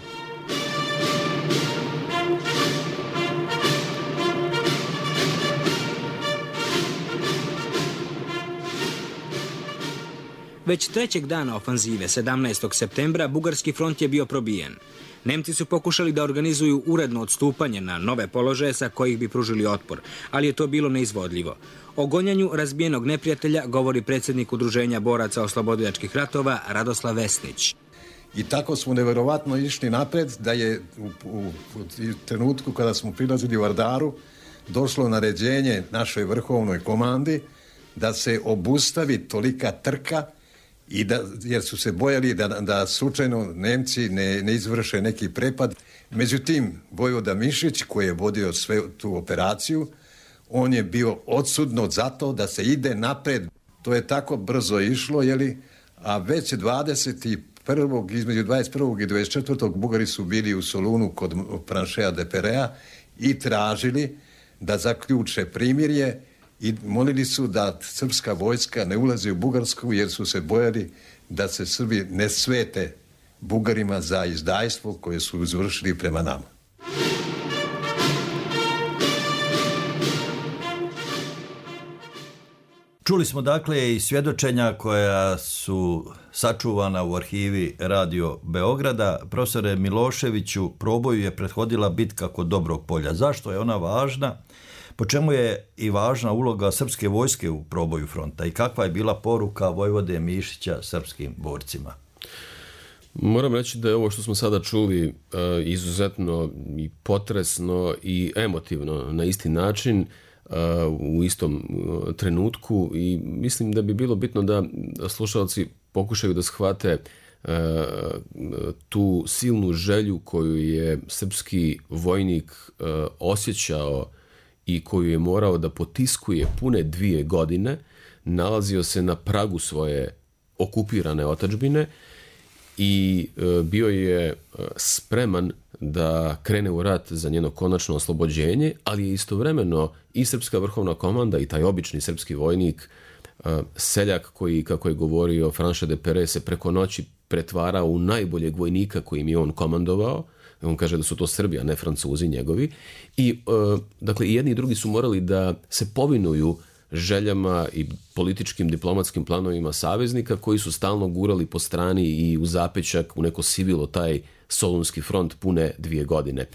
Već trećeg dana ofanzive, sedamnaestog septembra, bugarski front je bio probijen. Nemci su pokušali da organizuju uredno odstupanje na nove položaje sa kojih bi pružili otpor, ali je to bilo neizvodljivo. O gonjanju razbijenog neprijatelja govori predsjednik Udruženja boraca oslobodilačkih ratova Radoslav Vesnić. I tako smo nevjerovatno išli napred da je u, u, u trenutku kada smo prilazili u Vardaru došlo naređenje našoj vrhovnoj komandi da se obustavi tolika trka i da, jer su se bojali da, da slučajno Nemci ne, ne izvrše neki prepad. Međutim, vojvoda Mišić, koji je vodio sve tu operaciju, on je bio odsudno zato da se ide napred. To je tako brzo išlo, jeli, a već dvadeset prvog između dvadeset prvog i dvadeset četvrtog Bugari su bili u Solunu kod Franchea de Perea i tražili da zaključe primirje i molili su da srpska vojska ne ulazi u Bugarsku jer su se bojali da se Srbi ne svete Bugarima za izdajstvo koje su izvršili prema nama. Čuli smo dakle i svjedočenja koja su sačuvana u arhivi Radio Beograda. Profesore Miloševiću, proboju je prethodila bitka kod Dobrog polja. Zašto je ona važna? Po čemu je i važna uloga srpske vojske u proboju fronta i kakva je bila poruka vojvode Mišića srpskim borcima? Moram reći da je ovo što smo sada čuli izuzetno i potresno i emotivno na isti način, u istom trenutku, i mislim da bi bilo bitno da slušalci pokušaju da shvate tu silnu želju koju je srpski vojnik osjećao i koju je morao da potiskuje pune dvije godine. Nalazio se na pragu svoje okupirane otadžbine i bio je spreman da krene u rat za njeno konačno oslobođenje, ali je istovremeno i srpska vrhovna komanda i taj obični srpski vojnik, seljak koji, kako je govorio Franchea de Pere, se preko noći pretvarao u najboljeg vojnika kojim je on komandovao. On kaže da su to Srbi, a ne Francuzi njegovi. I, dakle, i jedni i drugi su morali da se povinuju željama i političkim diplomatskim planovima saveznika koji su stalno gurali po strani i u zapećak, u neko sivilo taj Solunski front pune dvije godine.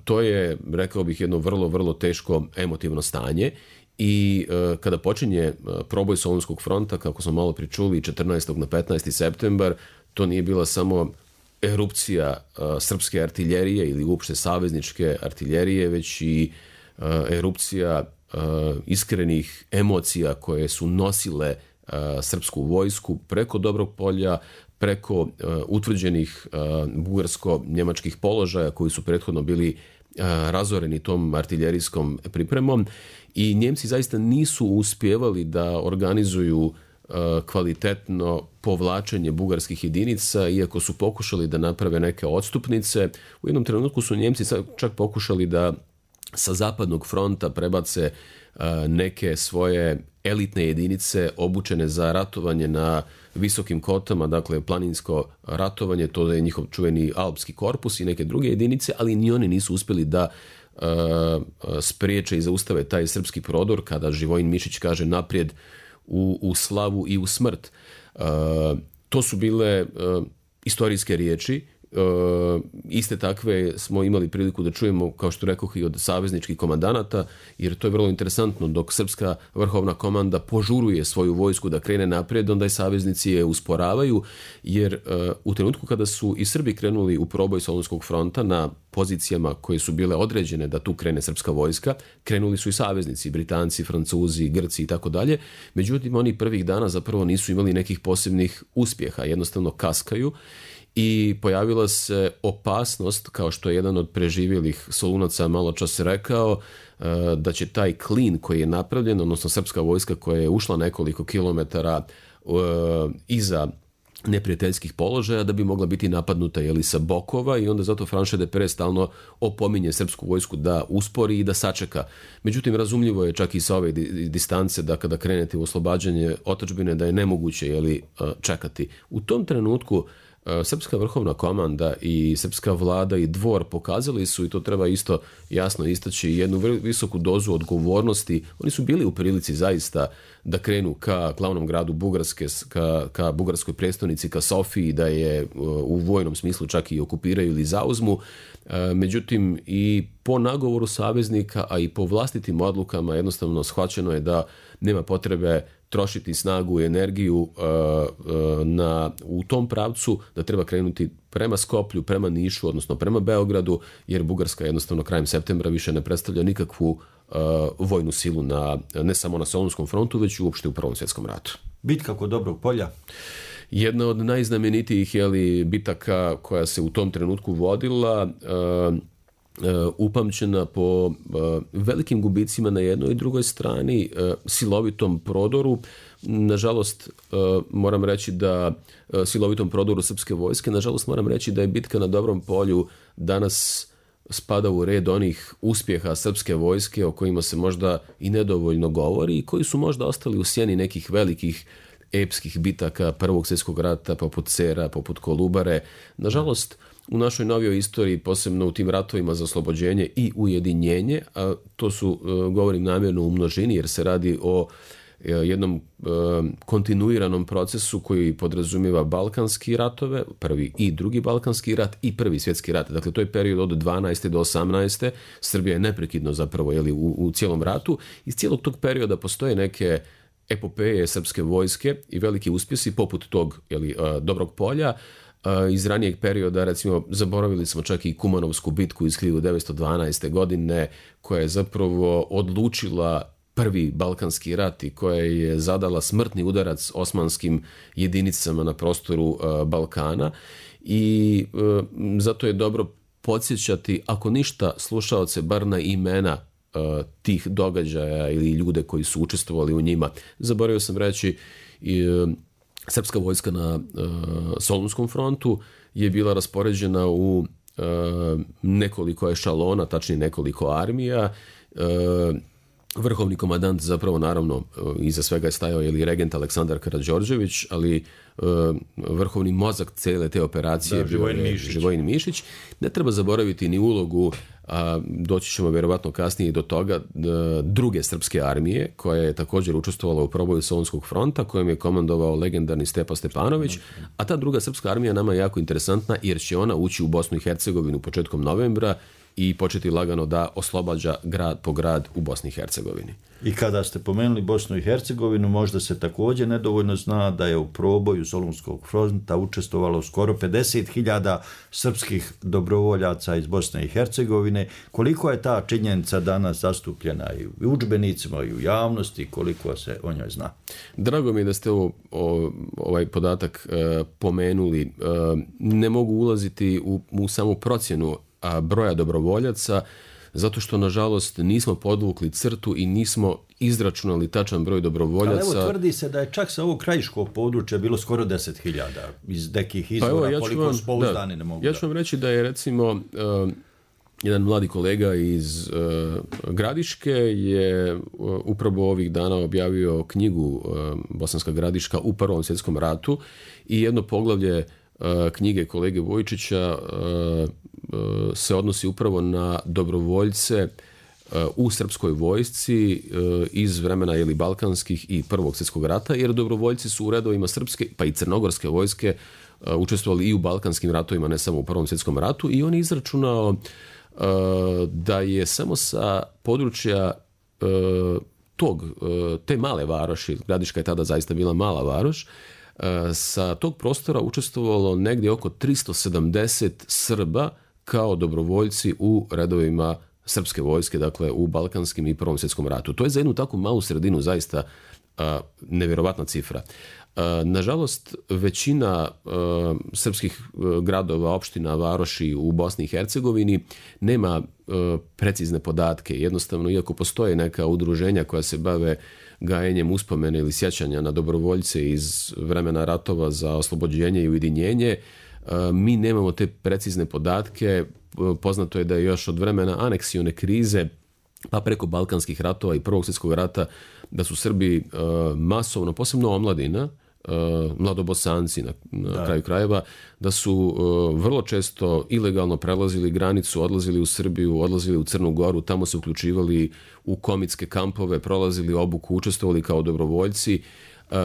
To je, rekao bih, jedno vrlo, vrlo teško emotivno stanje i kada počinje proboj Solunskog fronta, kako smo malo pričuli, četrnaestog na petnaesti septembar, to nije bila samo erupcija srpske artiljerije ili uopšte savezničke artiljerije, već i erupcija iskrenih emocija koje su nosile srpsku vojsku preko Dobrog polja, preko utvrđenih bugarsko-njemačkih položaja koji su prethodno bili razoreni tom artiljerijskom pripremom, i Njemci zaista nisu uspjevali da organizuju kvalitetno povlačenje bugarskih jedinica, iako su pokušali da naprave neke odstupnice. U jednom trenutku su Njemci čak pokušali da sa zapadnog fronta prebace neke svoje elitne jedinice obučene za ratovanje na visokim kotama, dakle planinsko ratovanje, to je njihov čuveni alpski korpus i neke druge jedinice, ali ni oni nisu uspjeli da uh, spriječe i zaustave taj srpski prodor kada Živojin Mišić kaže naprijed u, u slavu i u smrt. Uh, to su bile uh, istorijske riječi. Uh, iste takve smo imali priliku da čujemo, kao što rekoh, i od savezničkih komandanata, jer to je vrlo interesantno. Dok srpska vrhovna komanda požuruje svoju vojsku da krene naprijed, onda i saveznici je usporavaju, jer uh, u trenutku kada su i Srbi krenuli u proboj Solunskog fronta na pozicijama koje su bile određene da tu krene srpska vojska, krenuli su i saveznici, Britanci, Francuzi, Grci i tako dalje. Međutim, oni prvih dana zapravo nisu imali nekih posebnih uspjeha, jednostavno kaskaju. I pojavila se opasnost, kao što je jedan od preživjelih Solunaca malo čas rekao, da će taj klin koji je napravljen, odnosno srpska vojska koja je ušla nekoliko kilometara iza neprijateljskih položaja, da bi mogla biti napadnuta jeli, sa bokova, i onda zato Franchea de Pere stalno opominje srpsku vojsku da uspori i da sačeka. Međutim, razumljivo je čak i sa ove distance da kada krenete u oslobađanje otadžbine da je nemoguće jeli, čekati. U tom trenutku srpska vrhovna komanda i srpska vlada i dvor pokazali su, i to treba isto jasno istaći, jednu visoku dozu odgovornosti. Oni su bili u prilici zaista da krenu ka glavnom gradu Bugarske, ka, ka bugarskoj prestonici, ka Sofiji, da je u vojnom smislu čak i okupiraju ili zauzmu. Međutim, i po nagovoru saveznika, a i po vlastitim odlukama jednostavno shvaćeno je da nema potrebe trošiti snagu i energiju uh, uh, na, u tom pravcu, da treba krenuti prema Skoplju, prema Nišu, odnosno prema Beogradu, jer Bugarska jednostavno krajem septembra više ne predstavlja nikakvu uh, vojnu silu na, ne samo na Solunskom frontu, već i uopšte u Prvom svjetskom ratu. Bitka kod Dobrog polja. Jedna od najznamenitijih jeli, bitaka koja se u tom trenutku vodila, uh, uh, upamćena po uh, velikim gubicima na jednoj i drugoj strani, uh, silovitom prodoru. Nažalost, uh, moram reći da uh, silovitom prodoru srpske vojske, nažalost moram reći da je bitka na Dobrom polju danas spada u red onih uspjeha srpske vojske o kojima se možda i nedovoljno govori i koji su možda ostali u sjeni nekih velikih epskih bitaka Prvog svjetskog rata, poput Cera, poput Kolubare. Nažalost, u našoj novijoj istoriji, posebno u tim ratovima za oslobođenje i ujedinjenje, a to su, govorim namjerno u množini, jer se radi o jednom kontinuiranom procesu koji podrazumijeva Balkanski ratove, prvi i drugi Balkanski rat i prvi svjetski rat. Dakle, to je period od dvanaeste do osamnaeste. Srbija je neprekidno zapravo jeli, u, u cijelom ratu. Iz cijelog tog perioda postoje neke epopeje srpske vojske i veliki uspjesi poput tog jeli, Dobrog polja. Iz ranijeg perioda, recimo, zaboravili smo čak i Kumanovsku bitku iz hiljadu devetsto dvanaeste. godine, koja je zapravo odlučila prvi Balkanski rat i koja je zadala smrtni udarac osmanskim jedinicama na prostoru uh, Balkana i uh, zato je dobro podsjećati, ako ništa, slušaoce bar na imena uh, tih događaja ili ljude koji su učestvovali u njima. Zaboravio sam reći, uh, srpska vojska na uh, Solunskom frontu je bila raspoređena u uh, nekoliko ešalona, tačnije nekoliko armija. Uh, Vrhovni komandant zapravo naravno iza svega je stajao ili regent Aleksandar Karađorđević, ali uh, vrhovni mozak cijele te operacije da, Živojin, je Mišić. Živojin Mišić. Ne treba zaboraviti ni ulogu, a doći ćemo vjerovatno kasnije do toga, druge srpske armije koja je također učestvovala u proboju Solunskog fronta, kojim je komandovao legendarni Stepa Stepanović, a ta druga srpska armija nama je jako interesantna jer će ona ući u Bosnu i Hercegovinu početkom novembra i početi lagano da oslobađa grad po grad u Bosni i Hercegovini. I kada ste pomenuli Bosnu i Hercegovinu, možda se također nedovoljno zna da je u proboju Solunskog fronta učestvovalo skoro pedeset hiljada srpskih dobrovoljaca iz Bosne i Hercegovine. Koliko je ta činjenica danas zastupljena i u udžbenicima i u javnosti, koliko se o njoj zna? Drago mi je da ste ovo, o, ovaj podatak e, pomenuli. E, ne mogu ulaziti u, u samu procjenu a, broja dobrovoljaca, zato što, nažalost, nismo podvukli crtu i nismo izračunali tačan broj dobrovoljaca. Ali evo, tvrdi se da je čak sa ovog krajiškog područja bilo skoro deset hiljada iz nekih izvora, pa evo, ja koliko su pouzdani ne mogu. Ja ću vam reći da je, recimo, uh, jedan mladi kolega iz uh, Gradiške je uh, upravo ovih dana objavio knjigu uh, Bosanska Gradiška u Prvom svjetskom ratu i jedno poglavlje uh, knjige kolege Vojčića uh, se odnosi upravo na dobrovoljce u srpskoj vojsci iz vremena jeli, balkanskih i Prvog svjetskog rata, jer dobrovoljci su u redovima srpske pa i crnogorske vojske učestvovali i u balkanskim ratovima, ne samo u Prvom svjetskom ratu, i on je izračunao da je samo sa područja tog, te male varoši, Gradiška je tada zaista bila mala varoš, sa tog prostora učestvovalo negdje oko tristo sedamdeset Srba kao dobrovoljci u redovima srpske vojske, dakle u balkanskim i Prvom svjetskom ratu. To je za jednu takvu malu sredinu zaista a, nevjerovatna cifra. A, nažalost, većina a, srpskih a, gradova, opština, varoši u Bosni i Hercegovini nema a, precizne podatke. Jednostavno, iako postoje neka udruženja koja se bave gajenjem uspomene ili sjećanja na dobrovoljce iz vremena ratova za oslobođenje i ujedinjenje, mi nemamo te precizne podatke. Poznato je da je još od vremena aneksione krize pa preko balkanskih ratova i Prvog svjetskog rata da su Srbi masovno, posebno omladina, mladobosanci na, na kraju krajeva, da su vrlo često ilegalno prelazili granicu, odlazili u Srbiju, odlazili u Crnu Goru, tamo se uključivali u komitske kampove, prolazili obuku, učestvovali kao dobrovoljci.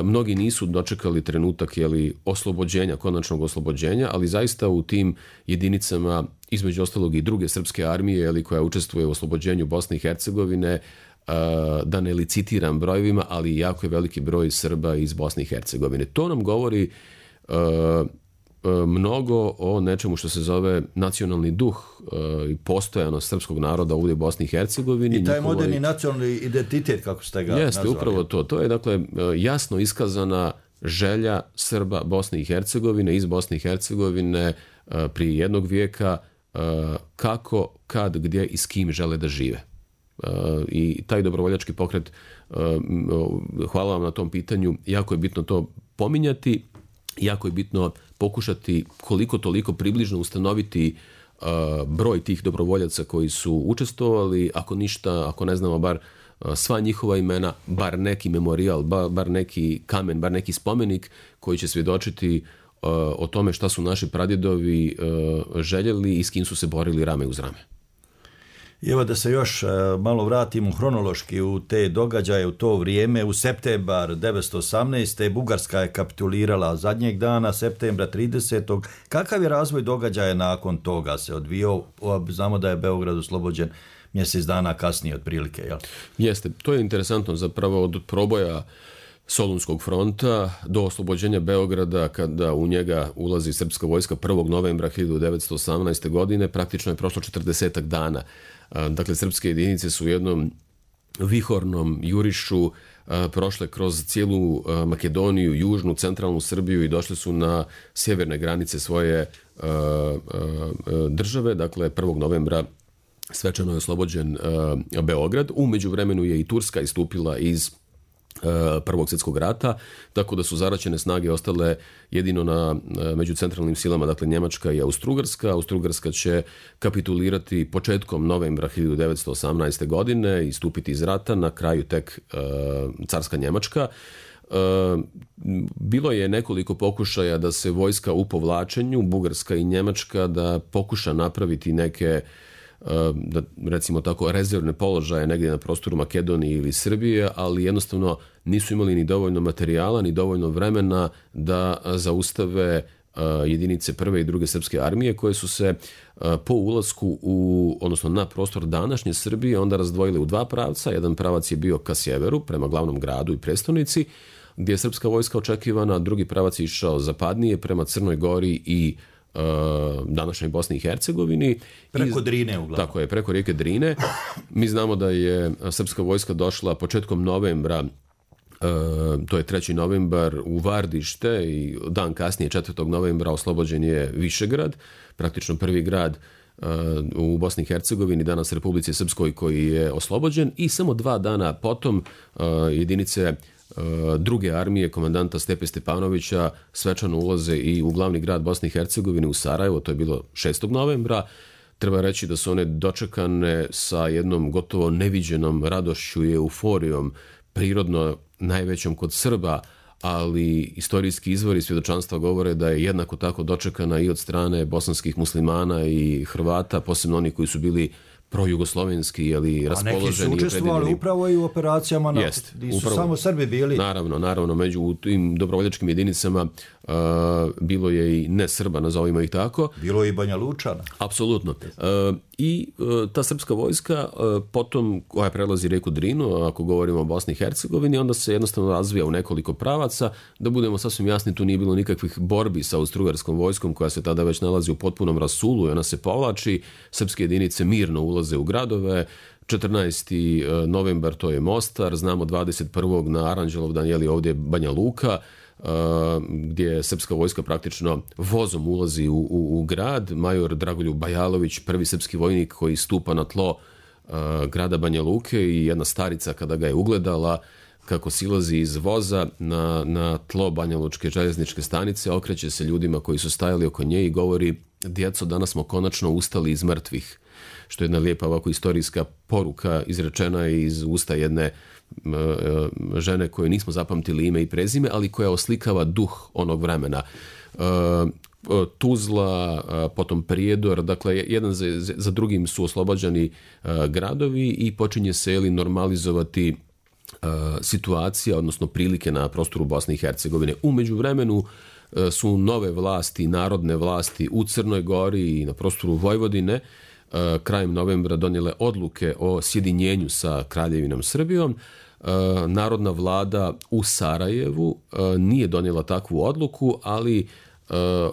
Mnogi nisu dočekali trenutak jeli, oslobođenja, konačnog oslobođenja, ali zaista u tim jedinicama, između ostalog i druge srpske armije, jeli, koja učestvuje u oslobođenju Bosne i Hercegovine, da ne licitiram brojevima, ali jako je veliki broj Srba iz Bosne i Hercegovine. To nam govori mnogo o nečemu što se zove nacionalni duh i postojanost srpskog naroda ovdje u Bosni i Hercegovini. I taj njihovoj... moderni nacionalni identitet, kako ste ga Jeste, nazvali. upravo to. To je dakle jasno iskazana želja Srba Bosne i Hercegovine, iz Bosne i Hercegovine prije jednog vijeka, kako, kad, gdje i s kim žele da žive. I taj dobrovoljački pokret, hvala vam na tom pitanju, jako je bitno to pominjati, jako je bitno pokušati koliko toliko približno ustanoviti broj tih dobrovoljaca koji su učestvovali, ako ništa, ako ne znamo bar sva njihova imena, bar neki memorijal, bar neki kamen, bar neki spomenik koji će svjedočiti o tome šta su naši pradjedovi željeli i s kim su se borili rame uz rame. I evo da se još malo vratimo hronološki u te događaje, u to vrijeme. U septembar devetsto osamnaeste. Bugarska je kapitulirala zadnjeg dana, septembra tridesetog. Kakav je razvoj događaja nakon toga se odvijao? Znamo da je Beograd oslobođen mjesec dana kasnije otprilike. Jel? Jeste, to je interesantno zapravo od proboja Solunskog fronta do oslobođenja Beograda, kada u njega ulazi srpska vojska prvog novembra hiljadu devetsto osamnaeste. godine, praktično je prošlo četrdesetak dana. Dakle, srpske jedinice su u jednom vihornom jurišu prošle kroz cijelu Makedoniju, južnu, centralnu Srbiju i došle su na sjeverne granice svoje države. Dakle, prvog novembra svečano je oslobođen Beograd. U međuvremenu je i Turska istupila iz Prvog svjetskog rata, tako da su zaraćene snage ostale jedino na među centralnim silama, dakle Njemačka i Austrougarska. Austrougarska će kapitulirati početkom novembra hiljadu devetsto osamnaeste. godine i stupiti iz rata, na kraju tek e, carska Njemačka. E, bilo je nekoliko pokušaja da se vojska u povlačenju, Bugarska i Njemačka, da pokuša napraviti neke, da recimo tako, rezervne položaje negdje na prostoru Makedonije ili Srbije, ali jednostavno nisu imali ni dovoljno materijala, ni dovoljno vremena da zaustave jedinice prve i druge srpske armije koje su se po ulasku u, odnosno na prostor današnje Srbije onda razdvojile u dva pravca. Jedan pravac je bio ka sjeveru, prema glavnom gradu i prestonici, gdje je srpska vojska očekivana, a drugi pravac je išao zapadnije prema Crnoj Gori i današnjoj Bosni i Hercegovini. Preko Drine uglavnom. Tako je, preko rijeke Drine. Mi znamo da je srpska vojska došla početkom novembra, to je treći novembar, u Vardište i dan kasnije, četvrtog novembra, oslobođen je Višegrad, praktično prvi grad u Bosni i Hercegovini, danas Republici Srpskoj, koji je oslobođen, i samo dva dana potom jedinice druge armije komandanta Stepe Stepanovića svečano ulaze i u glavni grad Bosne i Hercegovine, u Sarajevo. To je bilo šestog novembra. Treba reći da su one dočekane sa jednom gotovo neviđenom radošću i euforijom, prirodno najvećom kod Srba, ali istorijski izvori svjedočanstva govore da je jednako tako dočekana i od strane bosanskih muslimana i Hrvata, posebno oni koji su bili projugoslovenski, ali raspoloženi. A neki su učestvovali upravo i u operacijama, na, Jest, gdje su upravo, samo Srbi bili. Naravno, naravno, među tim dobrovoljačkim jedinicama uh, bilo je i ne Srba, nazovimo ih tako. Bilo je i Banja Lučana. Apsolutno. Uh, I uh, ta srpska vojska uh, potom, koja prelazi rijeku Drinu, ako govorimo o Bosni i Hercegovini, onda se jednostavno razvija u nekoliko pravaca. Da budemo sasvim jasni, tu nije bilo nikakvih borbi sa austrougarskom vojskom, koja se tada već nalazi u potpunom rasulu i ona se povlači. Srpske jedinice mirno ulaze u gradove. četrnaesti novembar to je Mostar, znamo dvadeset prvog na Aranđelovdan je li ovdje Banja Luka, gdje srpska vojska praktično vozom ulazi u, u, u grad. Major Dragoljub Bajalović, prvi srpski vojnik koji stupa na tlo uh, grada Banja Luke, i jedna starica kada ga je ugledala kako silazi iz voza na, na tlo Banja Lučke željezničke stanice, okreće se ljudima koji su stajali oko nje i govori: djeco, danas smo konačno ustali iz mrtvih. Što je jedna lijepa ovako istorijska poruka izrečena iz usta jedne žene koje nismo zapamtili ime i prezime, ali koja oslikava duh onog vremena. Tuzla, potom Prijedor, dakle jedan za, za drugim su oslobađani gradovi i počinje se ili normalizovati situacija, odnosno prilike na prostoru Bosne i Hercegovine. U međuvremenu su nove vlasti, narodne vlasti u Crnoj Gori i na prostoru Vojvodine krajem novembra donijele odluke o sjedinjenju sa Kraljevinom Srbijom. Narodna vlada u Sarajevu nije donijela takvu odluku, ali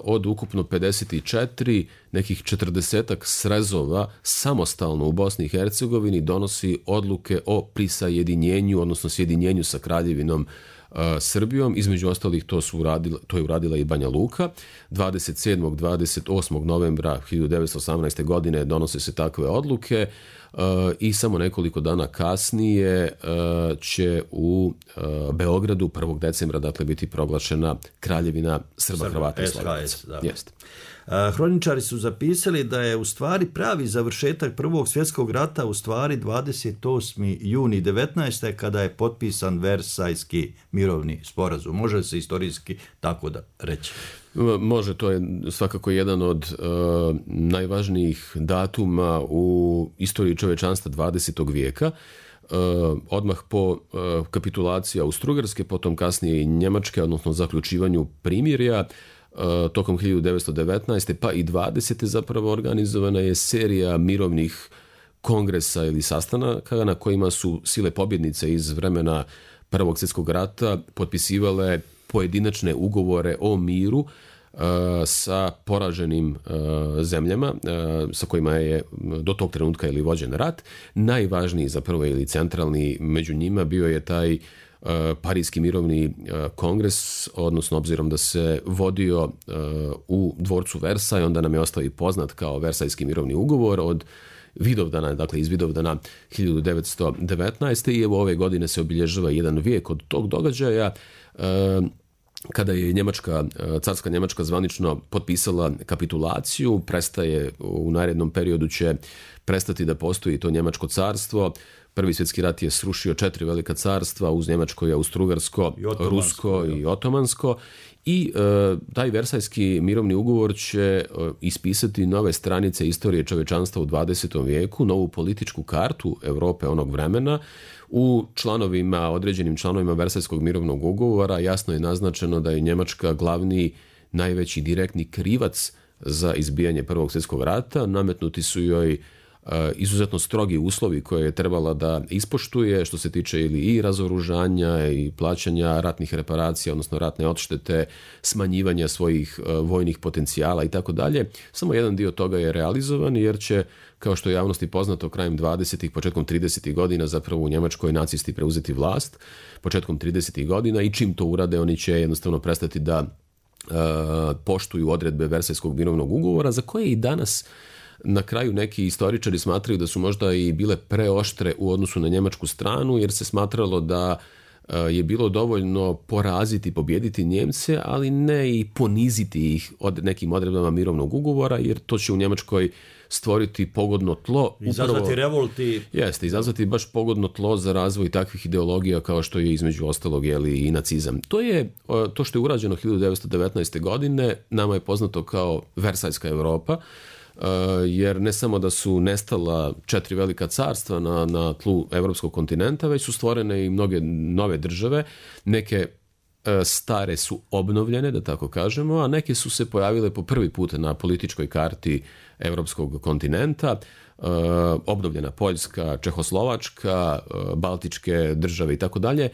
od ukupno pedeset četiri, nekih četrdesetak srezova samostalno u Bosni i Hercegovini donosi odluke o prisajedinjenju, odnosno sjedinjenju sa Kraljevinom Srbijom. Između ostalih to, su uradila, to je uradila i Banja Luka. dvadeset sedmog i dvadeset osmog novembra hiljadu devetsto osamnaeste. godine donose se takve odluke i samo nekoliko dana kasnije će u Beogradu prvog decembra dakle biti proglašena Kraljevina Srba, Srba Hrvata i Slovenaca. Jeste. Hroničari su zapisali da je u stvari pravi završetak Prvog svjetskog rata u stvari dvadeset osmi juni devetnaeste. kada je potpisan Versajski mirovni sporazum. Može se istorijski tako da reći? Može, to je svakako jedan od uh, najvažnijih datuma u istoriji čovečanstva dvadesetog vijeka. Uh, odmah po uh, kapitulaciji Austro-Ugarske, potom kasnije i Njemačke, odnosno zaključivanju primirja, uh, tokom hiljadu devetsto devetnaeste. pa i dvadesete zapravo organizovana je serija mirovnih kongresa ili sastanaka na kojima su sile pobjednice iz vremena Prvog svjetskog rata potpisivale pojedinačne ugovore o miru uh, sa poraženim uh, zemljama uh, sa kojima je do tog trenutka ili vođen rat. Najvažniji zapravo ili centralni među njima bio je taj uh, Parijski mirovni uh, kongres, odnosno obzirom da se vodio uh, u dvorcu Versaj, onda nam je ostao i poznat kao Versajski mirovni ugovor od Vidovdana, dakle iz Vidovdana hiljadu devetsto devetnaeste. i evo ove godine se obilježava jedan vijek od tog događaja kada je Njemačka, carska Njemačka zvanično potpisala kapitulaciju. Prestaje, u narednom periodu će prestati da postoji to Njemačko carstvo. Prvi svjetski rat je srušio četiri velika carstva uz Njemačko i Austro-Ugarsko, Rusko i Otomansko. I e, taj Versajski mirovni ugovor će e, ispisati nove stranice istorije čovečanstva u dvadesetom vijeku, novu političku kartu Europe onog vremena. U članovima, određenim članovima Versajskog mirovnog ugovora jasno je naznačeno da je Njemačka glavni, najveći direktni krivac za izbijanje Prvog svjetskog rata. Nametnuti su joj izuzetno strogi uslovi koje je trebala da ispoštuje što se tiče ili i razoružanja i plaćanja ratnih reparacija, odnosno ratne odštete, smanjivanja svojih vojnih potencijala i tako dalje. Samo jedan dio toga je realizovan jer će, kao što je javnosti poznato, krajem dvadesetih, početkom tridesetih godina zapravo u Njemačkoj nacisti preuzeti vlast, početkom tridesetih godina, i čim to urade oni će jednostavno prestati da uh, poštuju odredbe Versajskog mirovnog ugovora, za koje i danas na kraju neki istoričari smatraju da su možda i bile preoštre u odnosu na njemačku stranu, jer se smatralo da je bilo dovoljno poraziti, pobijediti Njemce, ali ne i poniziti ih od nekim odredbama mirovnog ugovora, jer to će u Njemačkoj stvoriti pogodno tlo. Izazvati upravo, revolti. Jeste, izazvati baš pogodno tlo za razvoj takvih ideologija kao što je između ostalog jeli, i nacizam. To je to što je urađeno hiljadu devetsto devetnaeste. godine, nama je poznato kao Versajska Europa, jer ne samo da su nestala četiri velika carstva na, na tlu evropskog kontinenta, već su stvorene i mnoge nove države. Neke stare su obnovljene, da tako kažemo, a neke su se pojavile po prvi put na političkoj karti evropskog kontinenta. Obnovljena Poljska, Čehoslovačka, Baltičke države i tako dalje.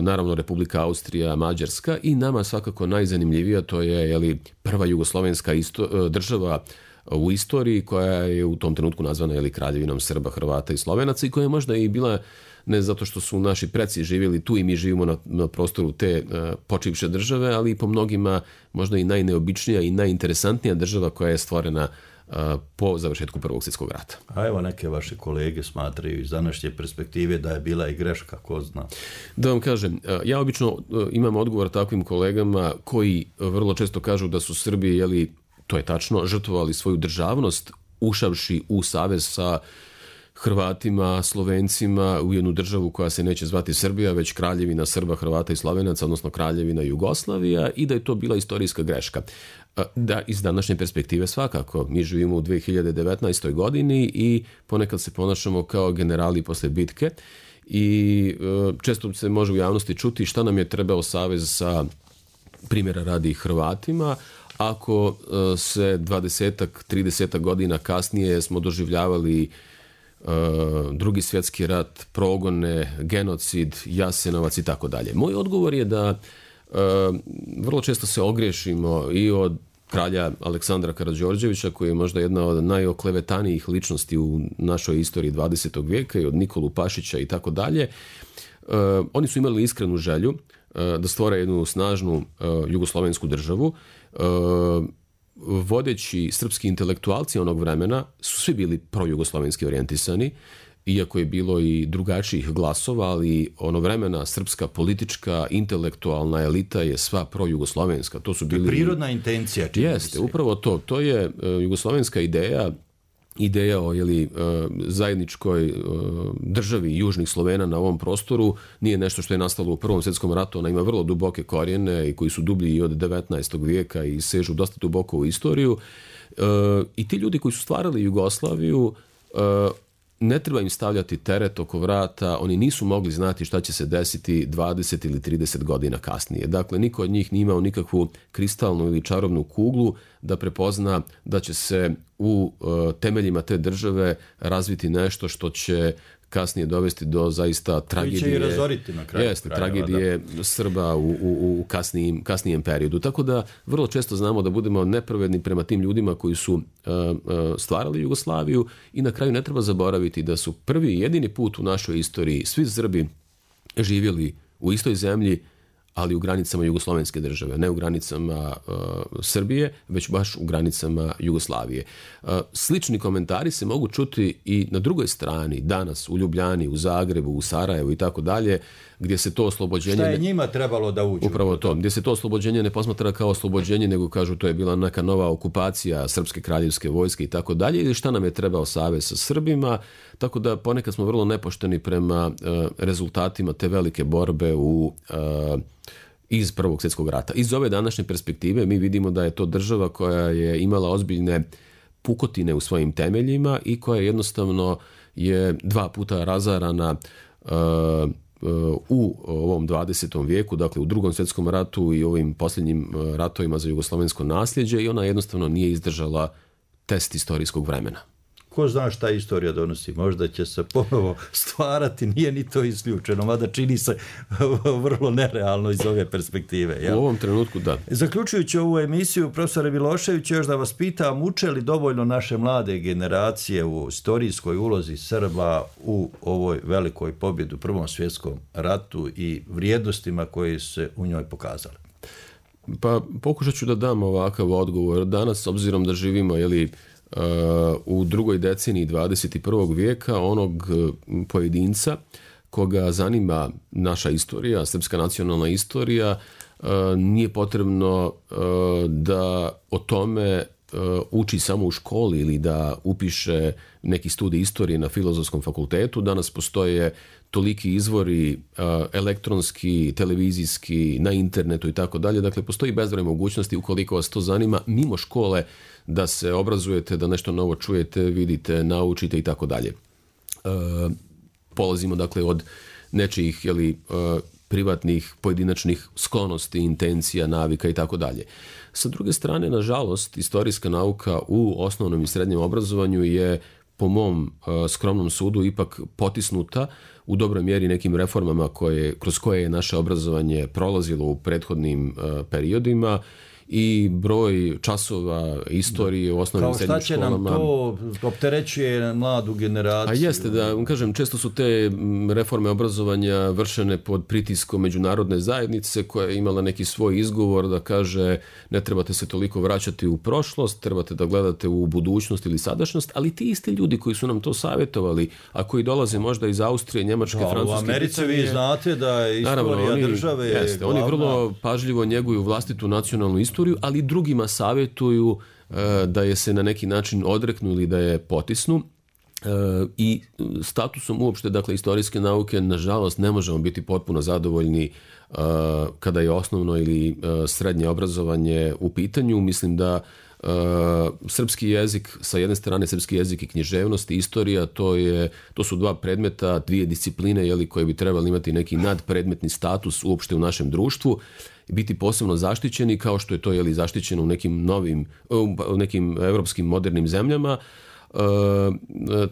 Naravno Republika Austrija, Mađarska, i nama svakako najzanimljivija to je jeli, prva jugoslovenska isto, država u istoriji koja je u tom trenutku nazvana jeli, Kraljevinom Srba, Hrvata i Slovenaca, i koja je možda i bila, ne zato što su naši preci živjeli tu i mi živimo na, na prostoru te uh, počivše države, ali i po mnogima možda i najneobičnija i najinteresantnija država koja je stvorena uh, po završetku Prvog svjetskog rata. A evo neke vaše kolege smatraju iz današnje perspektive da je bila i greška, ko zna. Da vam kažem, uh, ja obično uh, imam odgovor takvim kolegama koji uh, vrlo često kažu da su Srbi, jeli, to je tačno, žrtvovali svoju državnost ušavši u savez sa Hrvatima, Slovencima u jednu državu koja se neće zvati Srbija, već Kraljevina Srba, Hrvata i Slovenaca, odnosno Kraljevina Jugoslavija, i da je to bila istorijska greška. Da, iz današnje perspektive svakako. Mi živimo u dve hiljade devetnaestoj. godini i ponekad se ponašamo kao generali posle bitke i često se može u javnosti čuti šta nam je trebao savez sa, primjera radi, Hrvatima, ako se dvadesetak, tridesetak godina kasnije smo doživljavali uh, drugi svjetski rat, progone, genocid, Jasenovac i tako dalje. Moj odgovor je da uh, vrlo često se ogriješimo i od kralja Aleksandra Karađorđevića, koji je možda jedna od najoklevetanijih ličnosti u našoj istoriji dvadesetog vijeka, i od Nikolu Pašića i tako dalje. Oni su imali iskrenu želju da stvore jednu snažnu jugoslovensku državu. Vodeći srpski intelektualci onog vremena su svi bili projugoslovenski orijentisani, iako je bilo i drugačijih glasova, ali ono vremena srpska politička, intelektualna elita je sva projugoslovenska. To su bili... Prirodna intencija. Jeste, upravo to. To je uh, jugoslovenska ideja, ideja o jeli, uh, zajedničkoj uh, državi južnih Slovena na ovom prostoru nije nešto što je nastalo u Prvom svjetskom ratu. Ona ima vrlo duboke korijene i koji su dublji i od devetnaestog vijeka i sežu dosta duboko u istoriju. Uh, I ti ljudi koji su stvarali Jugoslaviju, uh, ne treba im stavljati teret oko vrata, oni nisu mogli znati šta će se desiti dvadeset ili trideset godina kasnije. Dakle, niko od njih nije imao nikakvu kristalnu ili čarobnu kuglu da prepozna da će se u uh, temeljima te države razviti nešto što će kasnije dovesti do zaista tragedije. Koji će i razoriti na kraju. Jeste, tragedije da. Srba u, u, u kasnijim, kasnijem periodu. Tako da vrlo često znamo da budemo nepravedni prema tim ljudima koji su uh, uh, stvarali Jugoslaviju, i na kraju ne treba zaboraviti da su prvi i jedini put u našoj istoriji svi Srbi živjeli u istoj zemlji, ali u granicama jugoslovenske države, ne u granicama uh, Srbije, već baš u granicama Jugoslavije. Uh, slični komentari se mogu čuti i na drugoj strani, danas u Ljubljani, u Zagrebu, u Sarajevu i tako dalje, gdje se to oslobođenje... Šta je njima trebalo da uđu? Upravo to, gdje se to oslobođenje ne posmatra kao oslobođenje, nego kažu to je bila neka nova okupacija Srpske kraljevske vojske i tako dalje, ili šta nam je trebao savez sa Srbima, tako da ponekad smo vrlo nepošteni prema uh, rezultatima te velike borbe u... Uh, iz Prvog svjetskog rata. Iz ove današnje perspektive mi vidimo da je to država koja je imala ozbiljne pukotine u svojim temeljima i koja jednostavno je dva puta razarana uh, uh, u ovom dvadesetom vijeku, dakle u Drugom svjetskom ratu i ovim posljednjim ratovima za jugoslovensko nasljeđe, i ona jednostavno nije izdržala test istorijskog vremena. Ko zna šta istorija donosi, možda će se ponovo stvarati, nije ni to isključeno, mada čini se vrlo nerealno iz ove perspektive. Jel? U ovom trenutku da. Zaključujući ovu emisiju, profesore Milošević, još da vas pitam, uče li dovoljno naše mlade generacije u istorijskoj ulozi Srba u ovoj velikoj pobjedi u Prvom svjetskom ratu i vrijednostima koje se u njoj pokazale? Pa pokušat ću da dam ovakav odgovor. Danas, obzirom da živimo, jeli, Uh, u drugoj deceniji dvadeset prvog vijeka, onog pojedinca koga zanima naša istorija, srpska nacionalna istorija, uh, nije potrebno uh, da o tome uh, uči samo u školi ili da upiše neki studij istorije na Filozofskom fakultetu. Danas postoje toliki izvori uh, elektronski, televizijski, na internetu i tako dalje. Dakle, postoji bezbroj mogućnosti, ukoliko vas to zanima, mimo škole, da se obrazujete, da nešto novo čujete, vidite, naučite i tako dalje. Polazimo dakle od nečijih jeli, privatnih, pojedinačnih sklonosti, intencija, navika i tako dalje. Sa druge strane, nažalost, istorijska nauka u osnovnom i srednjem obrazovanju je, po mom skromnom sudu, ipak potisnuta u dobroj mjeri nekim reformama koje, kroz koje je naše obrazovanje prolazilo u prethodnim periodima, i broj časova istorije u osnovnim i srednjim školama. Kao šta će nam to opterećuje mladu generaciju? A jeste, da kažem, često su te reforme obrazovanja vršene pod pritiskom međunarodne zajednice koja je imala neki svoj izgovor da kaže ne trebate se toliko vraćati u prošlost, trebate da gledate u budućnost ili sadašnjost, ali ti isti ljudi koji su nam to savjetovali, a koji dolaze možda iz Austrije, Njemačke, da, Francuske... U Americi Britanije, vi znate da je istorija naravno, oni, države jeste, glavna... Oni vrlo pažljivo njeguju vlastitu nacionalnu istoriju, ali drugima savjetuju e, da je se na neki način odreknu ili da je potisnu. E, I statusom uopšte, dakle, istorijske nauke, nažalost, ne možemo biti potpuno zadovoljni e, kada je osnovno ili e, srednje obrazovanje u pitanju. Mislim da e, srpski jezik, sa jedne strane srpski jezik i književnost i istorija, to, je, to su dva predmeta, dvije discipline, jeli, koje bi trebali imati neki nadpredmetni status uopšte u našem društvu, biti posebno zaštićeni, kao što je to jeli, zaštićeno u nekim novim, u nekim evropskim modernim zemljama. E,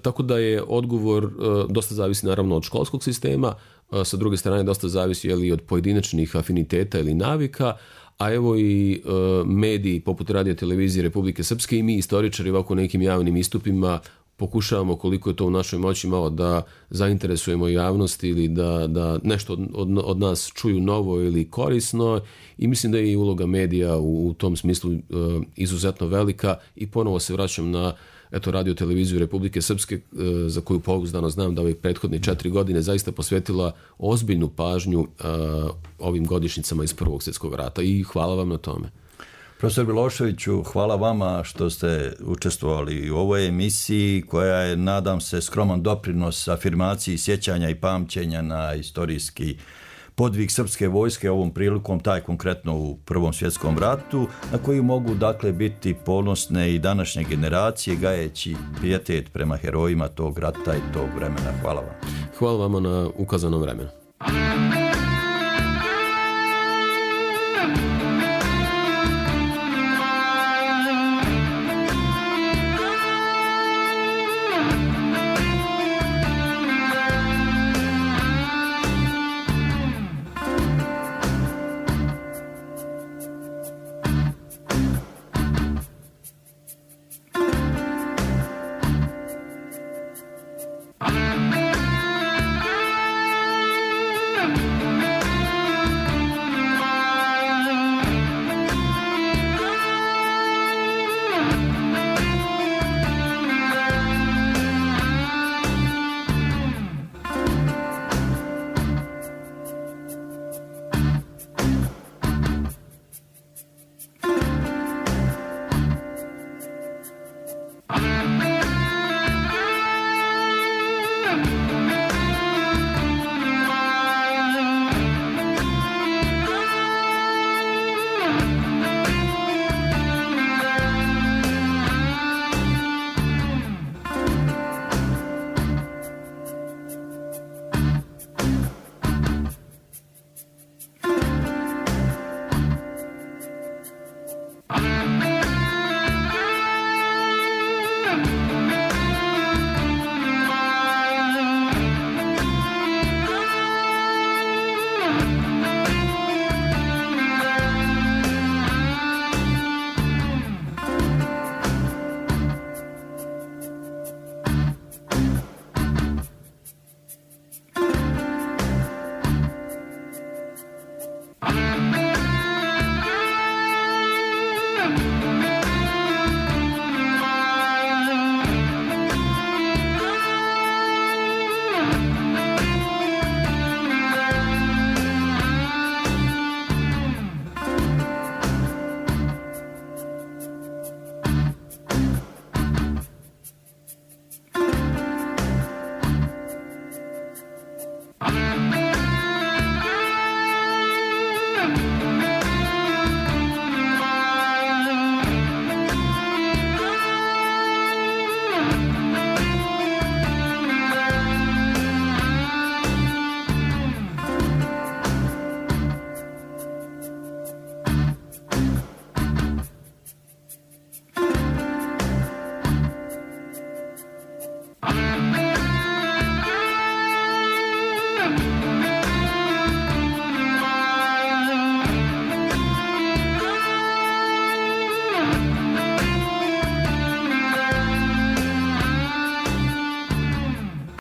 tako da je odgovor, e, dosta zavisi naravno od školskog sistema, sa druge strane dosta zavisi je li od pojedinačnih afiniteta ili navika, a evo i e, mediji poput Radio televizije Republike Srpske i mi istoričari ovako nekim javnim istupima pokušavamo koliko je to u našoj moći malo da zainteresujemo javnost ili da, da nešto od, od, od nas čuju novo ili korisno i mislim da je i uloga medija u, u tom smislu e, izuzetno velika i ponovo se vraćam na eto, Radio televiziju Republike Srpske, za koju pouzdano znam da ovih prethodne četiri godine zaista posvetila ozbiljnu pažnju uh, ovim godišnjicama iz Prvog svjetskog rata i hvala vam na tome. Profesor Miloševiću, hvala vama što ste učestvovali u ovoj emisiji koja je, nadam se, skroman doprinos afirmaciji sjećanja i pamćenja na istorijski podvig srpske vojske, ovom prilikom taj konkretno u Prvom svjetskom ratu, na koji mogu dakle biti ponosne i današnje generacije gajeći pijetet prema herojima tog rata i tog vremena. Hvala vam. Hvala vama na ukazanom vremenu.